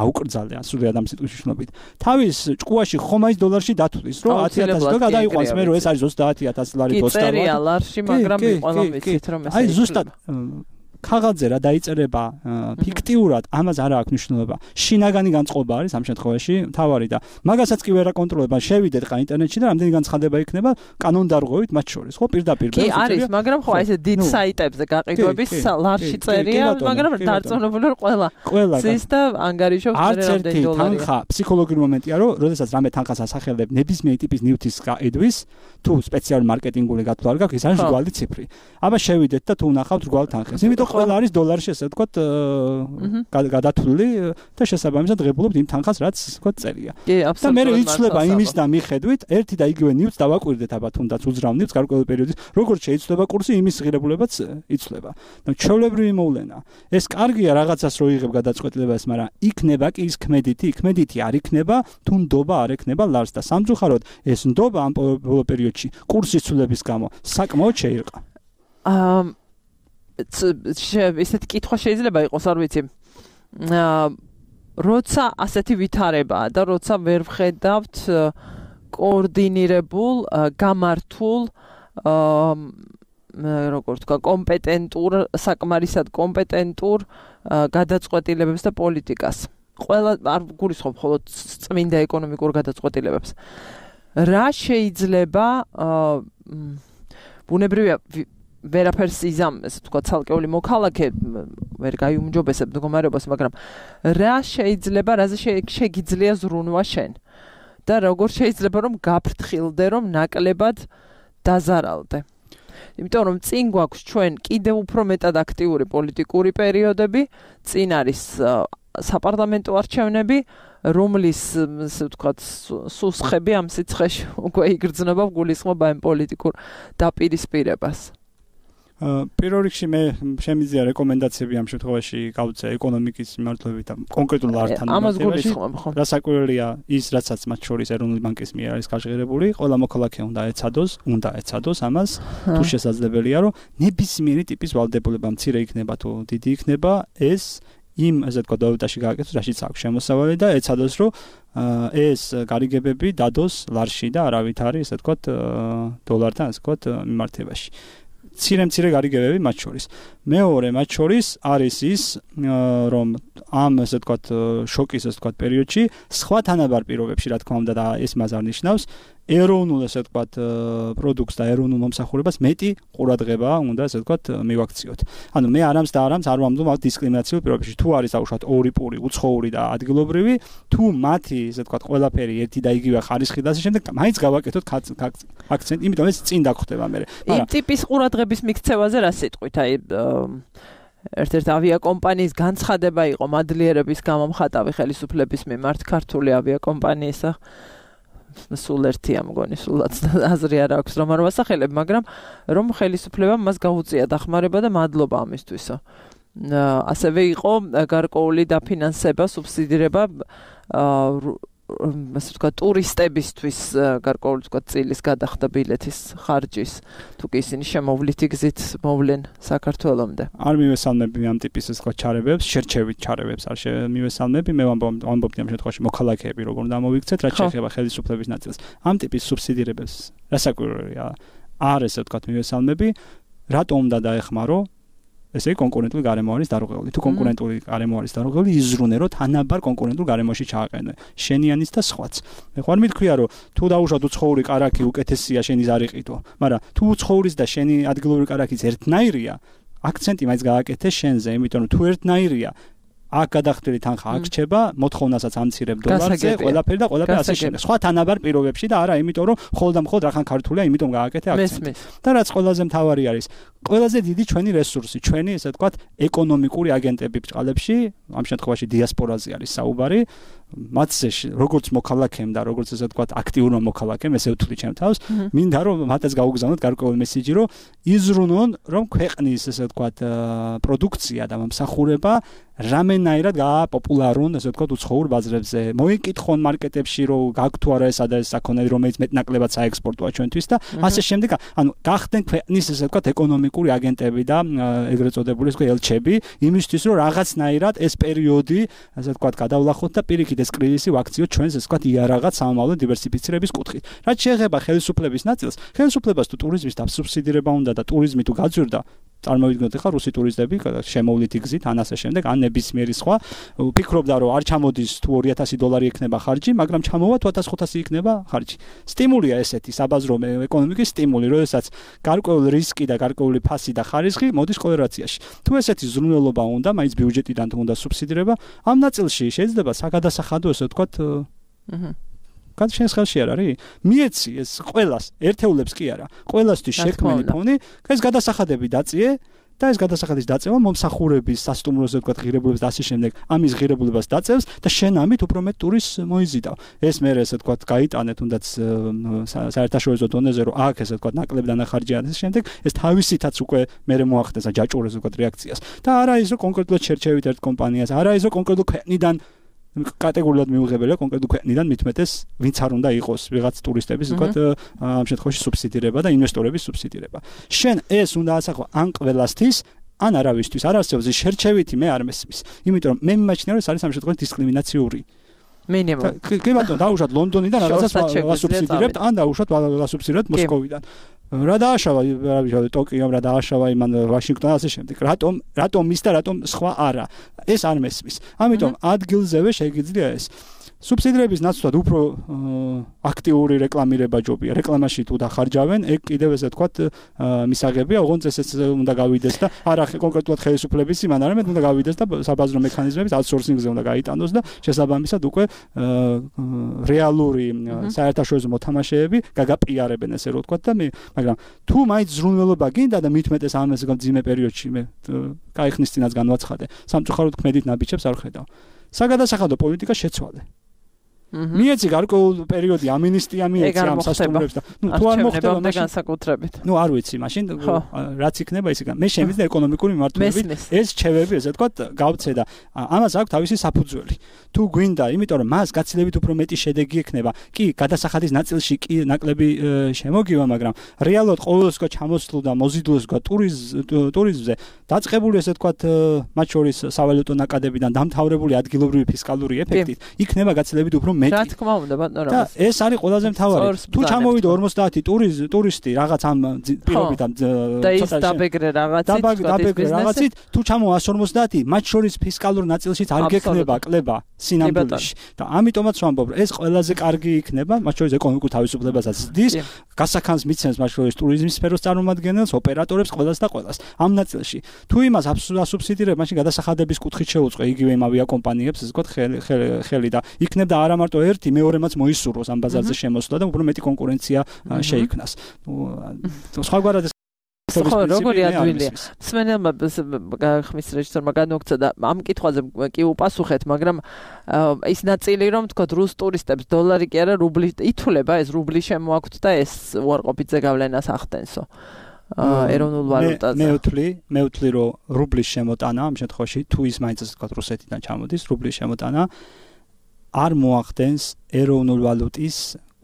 აუკრძალე სრული ადამიანის სიტყვის მნიშვნელობით თავის ჭკუაში ხომ არის დოლარში დათვლის რომ ათი ათასი და გადაიყვანს მე რომ ეს არის ოცდაათი ათასი ლარი დოსტა კი წერია ლარში მაგრამ ყველა ვიცით რომ ეს აი ზუსტად ქაღალდზე რა დაიწერება ფიქტიურად ამას არა აქვს მნიშვნელობა შინაგანი განწყობა არის ამ შემთხვევაში თავარი და მაგასაც კი ვერ აკონტროლება შევიდეთ ყა ინტერნეტში და რამდენი განცხადება იქნება კანონდარღვევით მათ შორის ხო პირდაპირ კი არის მაგრამ ხო ესე დიდ საიტებზე გაყიდვების ლარში წერია მაგრამ დარწმუნებული რომ ყველა ზის და ანგარიშობს რამდენი დოლარი თანხა ფსიქოლოგიური მომენტია რომ როდესაც რამე თანხას ასახელებ ნებისმიერი ტიპის ნივთის გაყიდვის თუ სპეციალური მარკეტინგული გათვლა არ გაქვს ის არის რგვალი ციფრი აბა შევიდეთ და თუ ნახავთ რგვალ თანხას იმიტომ ყველა არის დოლარში ესე ვთქვათ გადათვლილი და შესაბამისად ღებულობთ იმ თანხას რაც ესე ვთქვათ წერია და მე იცვლება იმის და მიხედვით ერთი და იგივე ნივთს დავაკვირდეთ აბა თუნდაც უძრავ ნივთს გარკვეული პერიოდის როგორც შეიცვლება კურსი იმის ღირებულებაც იცვლება და ჩვეულებრივი მოვლენა ეს კარგია რაღაცას რო იღებ გადაწყვეტილებას მაგრამ იქნება კი ის ქმედითი ქმედითი არ იქნება თუ ნდობა არ ექნება ლარს და სამწუხაროდ ეს ნდობა ამ ბოლო პერიოდში კურსის ცვლილების გამო საკმაოდ შეირყა აა ესეთი კითხვა შეიძლება იყოს არ ვიცი როცა ასეთი ვითარებაა და როცა ვერ ვხედავთ კოორდინირებულ გამართულ როგორ თქვა კომპეტენტურ საკმარისად კომპეტენტურ გადაწყვეტილებებს და პოლიტიკას ყველა არ გულისხმობ მხოლოდ წმინდა ეკონომიკურ გადაწყვეტილებებს რა შეიძლება ბუნებრივია ვერაფერს იზამ ესე თქვა ცალკეული მოქალაქე ვერ გაიუმჯობესებ მდგომარეობას მაგრამ რა შეიძლება რაზე შეგიძლია ზრუნვა შენ და როგორ შეიძლება რომ გაფრთხილდე რომ ნაკლებად დაზარალდე იმიტომ რომ წინ გვაქვს ჩვენ კიდევ უფრო მეტად აქტიური პოლიტიკური პერიოდები წინ არის საპარლამენტო არჩევნები რომლის ასე ვთქვათ სუსხები ამ სიცხეში უკვე იგრძნობა გულისხმობა ამ პოლიტიკურ დაპირისპირებას პირველ რიგში მე შემიძლია რეკომენდაციები ამ შემთხვევაში გავუწე ეკონომიკის მიმართულებით და კონკრეტულ ლართან მიმართულებით. რასაკვირველია ის, რაცაც მათ შორის ეროვნული ბანკის მიერ არის გაჟღერებული, ყველა მოქალაქე უნდა ეცადოს, უნდა ეცადოს ამას, თუ შესაძლებელია, რომ ნებისმიერი ტიპის ვალდებულება მცირე იქნება თუ დიდი იქნება, ეს იმ ასე ვთქვათ ვალუტაში გააკეთოს, რაშიც აქვს შემოსავალი და ეცადოს, რომ ეს გარიგებები დადოს ლარში და არავით არის ასე ვთქვათ დოლართან ასე ვთქვათ მიმართებაში. ცირე-მცირე გარიგებები მათ შორის. მეორე მათ შორის არის ის, რომ ამ ასე ვთქვათ შოკის ასე ვთქვათ პერიოდში სხვა თანაბარ პირობებში, რა თქმა უნდა და ეს მას არ ნიშნავს, ეროვნულ ასე ვთქვათ პროდუქტს და ეროვნულ მომსახურებას მეტი ყურადღება უნდა ასე ვთქვათ მივაქციოთ. ანუ მე არამს და არამს არ ვამბობ ამ დისკრიმინაციულ პირობებში, თუ არის აუშვათ ორი პური, უცხოური და ადგილობრივი, თუ მათი ასე ვთქვათ ყველაფერი ერთი და იგივე ხარისხი და ასე შემდეგ, მაინც გავაკეთოთ აქცენტი, იმიტომ ეს წინ დაგხვდება მე. იმ ტიპის ყურადღების მიქცევაზე რა სიტყვით, აი ერთ-ერთ ავიაკომპანიის განცხადება იყო მადლიერების გამომხატავი ხელისუფლების მიმართ ქართული ავიაკომპანიისა სულ ერთია მგონი სულაც აზრი არ აქვს რომ არ ვასახელებ მაგრამ რომ ხელისუფლებამ მას გაუწია დახმარება და მადლობა ამისთვისო ასევე იყო გარკვეული დაფინანსება სუბსიდირება ასე ვთქვათ ტურისტებისთვის გარკვეული ვთქვათ წილის გადახდა ბილეთის ხარჯის თუ კი ისინი შემოვლითი გზით მოვლენ საქართველომდე არ მივესალმები ამ ტიპის ასე ვთქვათ ჩარებებს შერჩევით ჩარებებს არ მივესალმები მე ვამბობდი ამ შემთხვევაში მოქალაქეები როგორ უნდა მოვიქცეთ რაც შეეხება ხელისუფლების ნაწილს ამ ტიპის სუბსიდირებებს რასაკვირველია არ ესე ვთქვათ მივესალმები რატომ უნდა დაეხმარო ესე კონკურენტული გარემო არის დარღვეული. თუ კონკურენტული გარემო არის დარღვეული, იზრუნე რომ თანაბარ კონკურენტულ გარემოში ჩააყენე. შენიანის და სხვაც. მე ხარ მithქვია რომ თუ დაუშვათ უცხოური კარაქი უკეთესია შენის არ იყიდო, მაგრამ თუ უცხოურის და შენი ადგილობრივი კარაქიც ერთნაირია, აქცენტი მაინც გააკეთე შენზე, იმიტომ რომ თუ ერთნაირია აქ გადახდილი თანხა აქ რჩება, მოთხოვნასაც ამცირებ დოლარზე, ყველაფერი და ყველაფერი ასე შემდეგ. სხვა თანაბარ პირობებში და არა, იმიტომ რომ ხოლმე და მხოლოდ რახან ქართულია, იმიტომ გააკეთე აქცენტი. და რაც ყველაზე მთავარი არის, ყველაზე დიდი ჩვენი რესურსი, ჩვენი ესე ვთქვათ, ეკონომიკური აგენტები ბჭყალებში, ამ შემთხვევაში დიასპორაზე არის საუბარი, მათზე როგორც მოქალაქემ და როგორც ესე ვთქვათ, აქტიურმა მოქალაქემ, ესე ვთვლი ჩემ თავს, მინდა რომ მათაც გაუგზავნოთ გარკვეული მესიჯი, რომ იზრუნონ, რომ ქვეყნის ესე ვთქვათ, პროდუქცია და მომსახურება რამენ სხვანაირად გააპოპულარონ, ასე ვთქვათ, უცხოურ ბაზრებზე. მოიკითხონ მარკეტებში, რომ გაქვთ თუ არა ესა და ეს საქონელი, რომელიც მეტნაკლებად საექსპორტოა ჩვენთვის და ასე შემდეგ. ანუ გახდნენ ქვეყნის, ასე ვთქვათ, ეკონომიკური აგენტები და ეგრეთ წოდებული ეს ელჩები, იმისთვის, რომ რაღაცნაირად ეს პერიოდი, ასე ვთქვათ, გადავლახოთ და პირიქით ეს კრიზისი ვაქციოთ ჩვენს, ასე ვთქვათ, იარაღად სამომავლო დივერსიფიცირების კუთხით. რაც შეეხება ხელისუფლების ნაწილს, ხელისუფლებას თუ ტურიზმის დასუბსიდირება უნდა და ტურიზმი თუ გაძვირდა, წარმოვიდგინოთ ახლა რუსი ტურისტები შემოვლითი გზით ან ასე შემდეგ, ან ნებისმიერი სხვა, ვფიქრობდა რომ არ ჩამოდის თუ ორი ათასი დოლარი იქნება ხარჯი, მაგრამ ჩამოვა თუ ათას ხუთასი იქნება ხარჯი. სტიმულია ესეთი საბაზრო ეკონომიკის სტიმული, როდესაც გარკვეული რისკი და გარკვეული ფასი და ხარისხი მოდის კორელაციაში. თუ ესეთი ზრუნველობა უნდა, მაინც ბიუჯეტიდან თუ უნდა სუბსიდირება, ამ ნაწილში შეიძლება საგადასახადო, ასე ვთქვათ, აჰა კაც შენს ხელში არ არის? მიეცი ეს ყველას, ერთეულებს კი არა. ყველასთვის შექმნილი ფონი, ეს გადასახადები დაწიე და ეს გადასახადის დაწევა მომსახურების, სასტუმროზე ვთქვათ, ღირებულებას და ასე შემდეგ, ამის ღირებულებას დაწევს და შენ ამით უფრო მეტ ტურის მოიზიდავ. ეს მე ესე ვთქვათ, გაიტანე თუნდაც საერთაშორისო დონეზე, რომ აქ ესე ვთქვათ, ნაკლები დანახარჯია და ასე შემდეგ, ეს თავისითაც უკვე მე მოახდენს და ჯაჭვურებს ვთქვათ რეაქციას. და არა ის რომ კონკრეტულად შერჩევით ერთ კომპანიას, არა ის რომ კონკრეტულ ქვეყნიდან კატეგორიულად მიუღებელია კონკრეტულ ქვეყნიდან მitmetes ვინც არ უნდა იყოს ვიღაც ტურისტების ვთქვათ ამ შემთხვევაში სუბსიდირება და ინვესტორების სუბსიდირება. შენ ეს უნდა ასახო ან ყველასთვის ან არავისთვის არ არსებობს შერჩევითი მე არ მესმის. იმიტომ რომ მე მიმაჩნია რომ ეს არის ამ შემთხვევაში დისკრიმინაციური. მინიმუმ. კი ბატონო დაუშვათ ლონდონიდან რაღაცას ვასუბსიდირებთ ან დაუშვათ ვასუბსიდირებთ მოსკოვიდან. რა დააშავა რა ტოკიომ რა დააშავა იმან ვაშინგტონს ასე შემდეგ. რატომ რატომ ის და რატომ სხვა არა? ეს არ მესმის. ამიტომ ადგილზევე შეიძლება ეს სუბსიდირების ნაცვლად უფრო აქტიური რეკლამირება ჯობია. რეკლამაში თუ დახარჯავენ, ეგ კიდევ ესე ვთქვათ მისაღებია, ოღონდ ესეც უნდა გავიდეს და არა კონკრეტულად ხელისუფლების იმან არამედ უნდა გავიდეს და საბაზრო მექანიზმების აუთსორსინგზე უნდა გაიტანოს და შესაბამისად უკვე რეალური საერთაშორისო მოთამაშეები გაგაპიარებენ ესე რომ ვთქვათ და მე მაგრამ თუ მაინც ზრუნველობა გინდა და მitmetes ამ ეს ძიმე პერიოდში მე კაი ხნის წინაც განვაცხადე. სამწუხაროდ ქმედით ნაბიჯებს არ ხედავ. საგადასახადო პოლიტიკა შეცვალე. მიეცი გარკვეულ პერიოდი ამინისტია მიეცი ამ სასტუმროებს და ნუ თუ არ მოხდება მაშინ განსაკუთრებით. ნუ არ ვიცი მაშინ რაც იქნება ის იქნება. მე შემიძლია ეკონომიკური მიმართულებით ეს ჩევები ესე ვთქვათ გავცე და ამას აქვს თავისი საფუძველი. თუ გვინდა, იმიტომ რომ მას გაცილებით უფრო მეტი შედეგი ექნება. კი, გადასახადის ნაწილში კი ნაკლები შემოგივა, მაგრამ რეალურად ყოველსკო ჩამოსვლო და მოზიდულსკო ტურიზმზე დაწყებული ესე ვთქვათ მათ შორის სავალუტო ნაკადებიდან დამთავრებული ადგილობრივი ფისკალური ეფექტით იქნება გაცილებით უფრო მეტი. რა თქმა უნდა, ბატონო, და ეს არის ყველაზე მთავარი. თუ ჩამოვიდა ორმოცდაათი ტურისტი რაღაც ამ პირობიდან და ის დაბეგრე რაღაცით, დაბეგრე რაღაცით, თუ ჩამოვა ასი ორმოცდაათი, მათ შორის ფისკალურ ნაწილშიც არ გექნება კლება სინამდვილეში. და ამიტომაც ვამბობ, ეს ყველაზე კარგი იქნება, მათ შორის ეკონომიკურ თავისუფლებასაც ზრდის, გასახანს მიცემს მათ შორის ტურიზმის სფეროს წარმომადგენელს, ოპერატორებს, ყველას და ყველას. ამ ნაწილში, თუ იმას ასუბსიდირებ, მაშინ გადასახადების კუთხით შეუწყო იგივე იმ ავიაკომპანიებს, ესე ვთქვათ, ხელი და იქნებდა არა მარტო ერთი, მეორემაც მოისურვოს ამ ბაზარზე შემოსვლა და უფრო მეტი კონკურენცია შეიქმნას. სხვაგვარად ეს ხო, როგორი ადვილია. მსმენელმა ხმის რეჟისორმა განუქცა და ამ კითხვაზე კი უპასუხეთ, მაგრამ ის ნაწილი რომ თქვა რუს ტურისტებს დოლარი კი არა რუბლი ითვლება, ეს რუბლი შემოაქვთ და ეს უარყოფითზე გავლენას ახდენსო. ეროვნულ ვალუტაზე. მე ვთვლი, მე ვთვლი რომ რუბლის შემოტანა ამ შემთხვევაში თუ ის მაინც ასე თქვა რუსეთიდან ჩამოდის, რუბლის შემოტანა არ მოახდენს ეროვნულ ვალუტის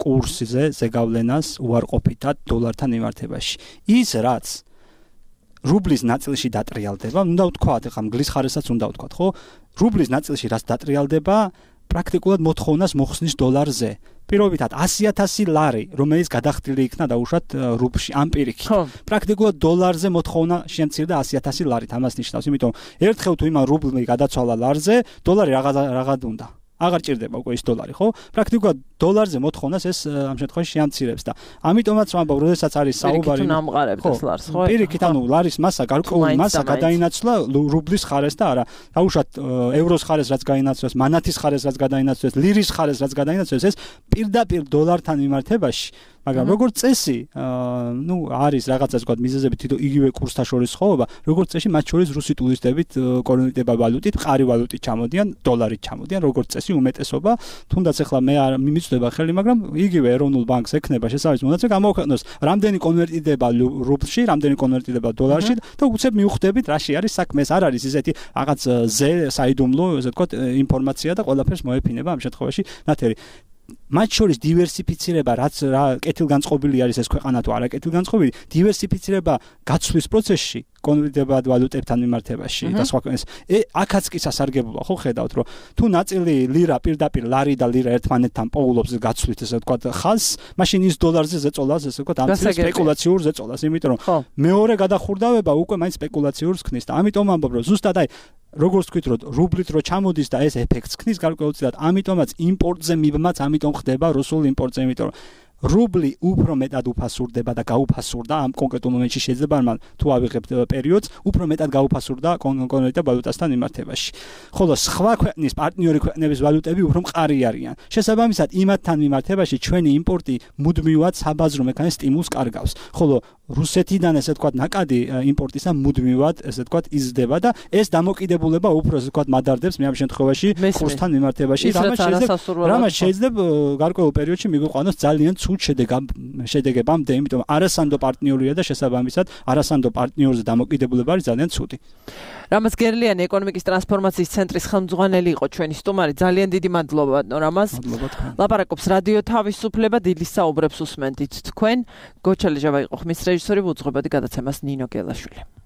კურსზე ზეგავლენას უარყოფითად დოლართან მიმართებაში. ის რაც რუბლის ნაწილში დატრიალდება, უნდა ვთქვათ, ახლა მგლის ხარესაც უნდა ვთქვათ, ხო? რუბლის ნაწილში რაც დატრიალდება, პრაქტიკულად მოთხოვნას მოხსნის დოლარზე. პირობითად ასი ათასი ლარი, რომელიც გადახდილი იქნა დაუშვათ რუბლში ამ პირიქით. პრაქტიკულად დოლარზე მოთხოვნა შემცირდა ასი ათასი ლარით. ამას ნიშნავს, იმიტომ ერთხელ თუ იმან რუბლი გადაცვალა ლარზე, დოლარი რაღაც რაღაც უნდა. აღარ ჭირდება უკვე ის დოლარი, ხო? პრაქტიკულად დოლარზე მოთხოვნას ეს ამ შემთხვევაში შეამცირებს და ამიტომაც ვამბობ, როდესაც არის საუბარი ნამყარებს ეს ლარს, ხო? პირიქით, ანუ ლარის მასა, გარკვეული მასა გადაინაცვლა რუბლის ხარეს და არა. დაუშვათ ევროს ხარეს რაც გაინაცვლეს, მანათის ხარეს რაც გადაინაცვლეს, ლირის ხარეს რაც გადაინაცვლეს, ეს პირდაპირ დოლართან მიმართებაში მაგრამ როგორც წესი, ну, არის რაღაცა თქვა მიზეზები თვითონ იგივე კურსთან შორის ხოვება, როგორც წესი მათ შორის რუსი ტურისტებით კონვერტირება ვალუტით, მყარი ვალუტით ჩამოდიან, დოლარით ჩამოდიან, როგორც წესი უმეტესობა, თუნდაც ახლა მე არ მიმიწვდება ხელი, მაგრამ იგივე ეროვნულ ბანკს ექნება შესაბამისი მონაცემ გამოქვეყნოს, რამდენი კონვერტირდება რუბლში, რამდენი კონვერტირდება დოლარში და უცებ მიუხვდებით, რაში არის საქმე, არ არის ისეთი რაღაც ზე საიდუმლო, ესე ვთქვათ, ინფორმაცია და ყველაფერს მოეფინება ამ შემთხვევაში ნათელი. მათ შორის დივერსიფიცირება, რაც რა კეთილგანწყობილი არის ეს ქვეყანა თუ არა კეთილგანწყობილი, დივერსიფიცირება გაცვლის პროცესში, კონვერტირებად ვალუტებთან მიმართებაში და სხვა ქვეყნებს. აქაც კი სასარგებლოა, ხო ხედავთ, რომ თუ ნაწილი ლირა პირდაპირ ლარი და ლირა ერთმანეთთან პოულობს გაცვლით, ესე ვთქვათ, ხალხს, მაშინ ის დოლარზე ზეწოლას, ესე ვთქვათ, ამ სპეკულაციურ ზეწოლას, იმიტომ რომ მეორე გადახურდავება უკვე მაინც სპეკულაციურს ქმნის და ამიტომ ამბობ, რომ ზუსტად აი როგორც თქვით, რომ რუბლით რო ჩამოდის და ეს ეფექტს ქმნის გარკვეულწილად, ამიტომაც იმპორტზე მიბმაც, ამიტომ ხდება რუსულ იმპორტზე, იმიტომ რომ რუბლი უფრო მეტად უფასურდება და გაუფასურდა ამ კონკრეტულ მომენტში შეიძლება მან თუ ავიღებთ პერიოდს, უფრო მეტად გაუფასურდა კონკრეტულ ვალუტასთან მიმართებაში. ხოლო სხვა ქვეყნის პარტნიორი ქვეყნების ვალუტები უფრო მყარი არიან. შესაბამისად, იმათთან მიმართებაში ჩვენი იმპორტი მუდმივად საბაზრო მექანიზმს სტიმულს კარგავს. ხოლო რუსეთიდან ესე ვთქვათ, ნაკადი იმპორტისა მუდმივად ესე ვთქვათ იზრდება და ეს დამოკიდებულება უფრო ესე ვთქვათ მადარდებს მე ამ შემთხვევაში კურსთან მიმართებაში, რამაც შეიძლება რამაც შეიძლება გარკვეულ პერიოდში მიგვიყვანოს ძალიან ცუდ შედეგებამდე, იმიტომ არასანდო პარტნიორია და შესაბამისად არასანდო პარტნიორზე დამოკიდებულება არის ძალიან ცუდი. რამაზ გერლიანი ეკონომიკის ტრანსფორმაციის ცენტრის ხელმძღვანელი იყო ჩვენი სტუმარი. ძალიან დიდი მადლობა რამაზ. ლაპარაკობს რადიო თავისუფლება, დილის საუბრებს უსმენთ თქვენ. გოჩა ლეჟავა იყო ხმის რეჟისორი, უძღვებოდი გადაცემას ნინო გელაშვილი.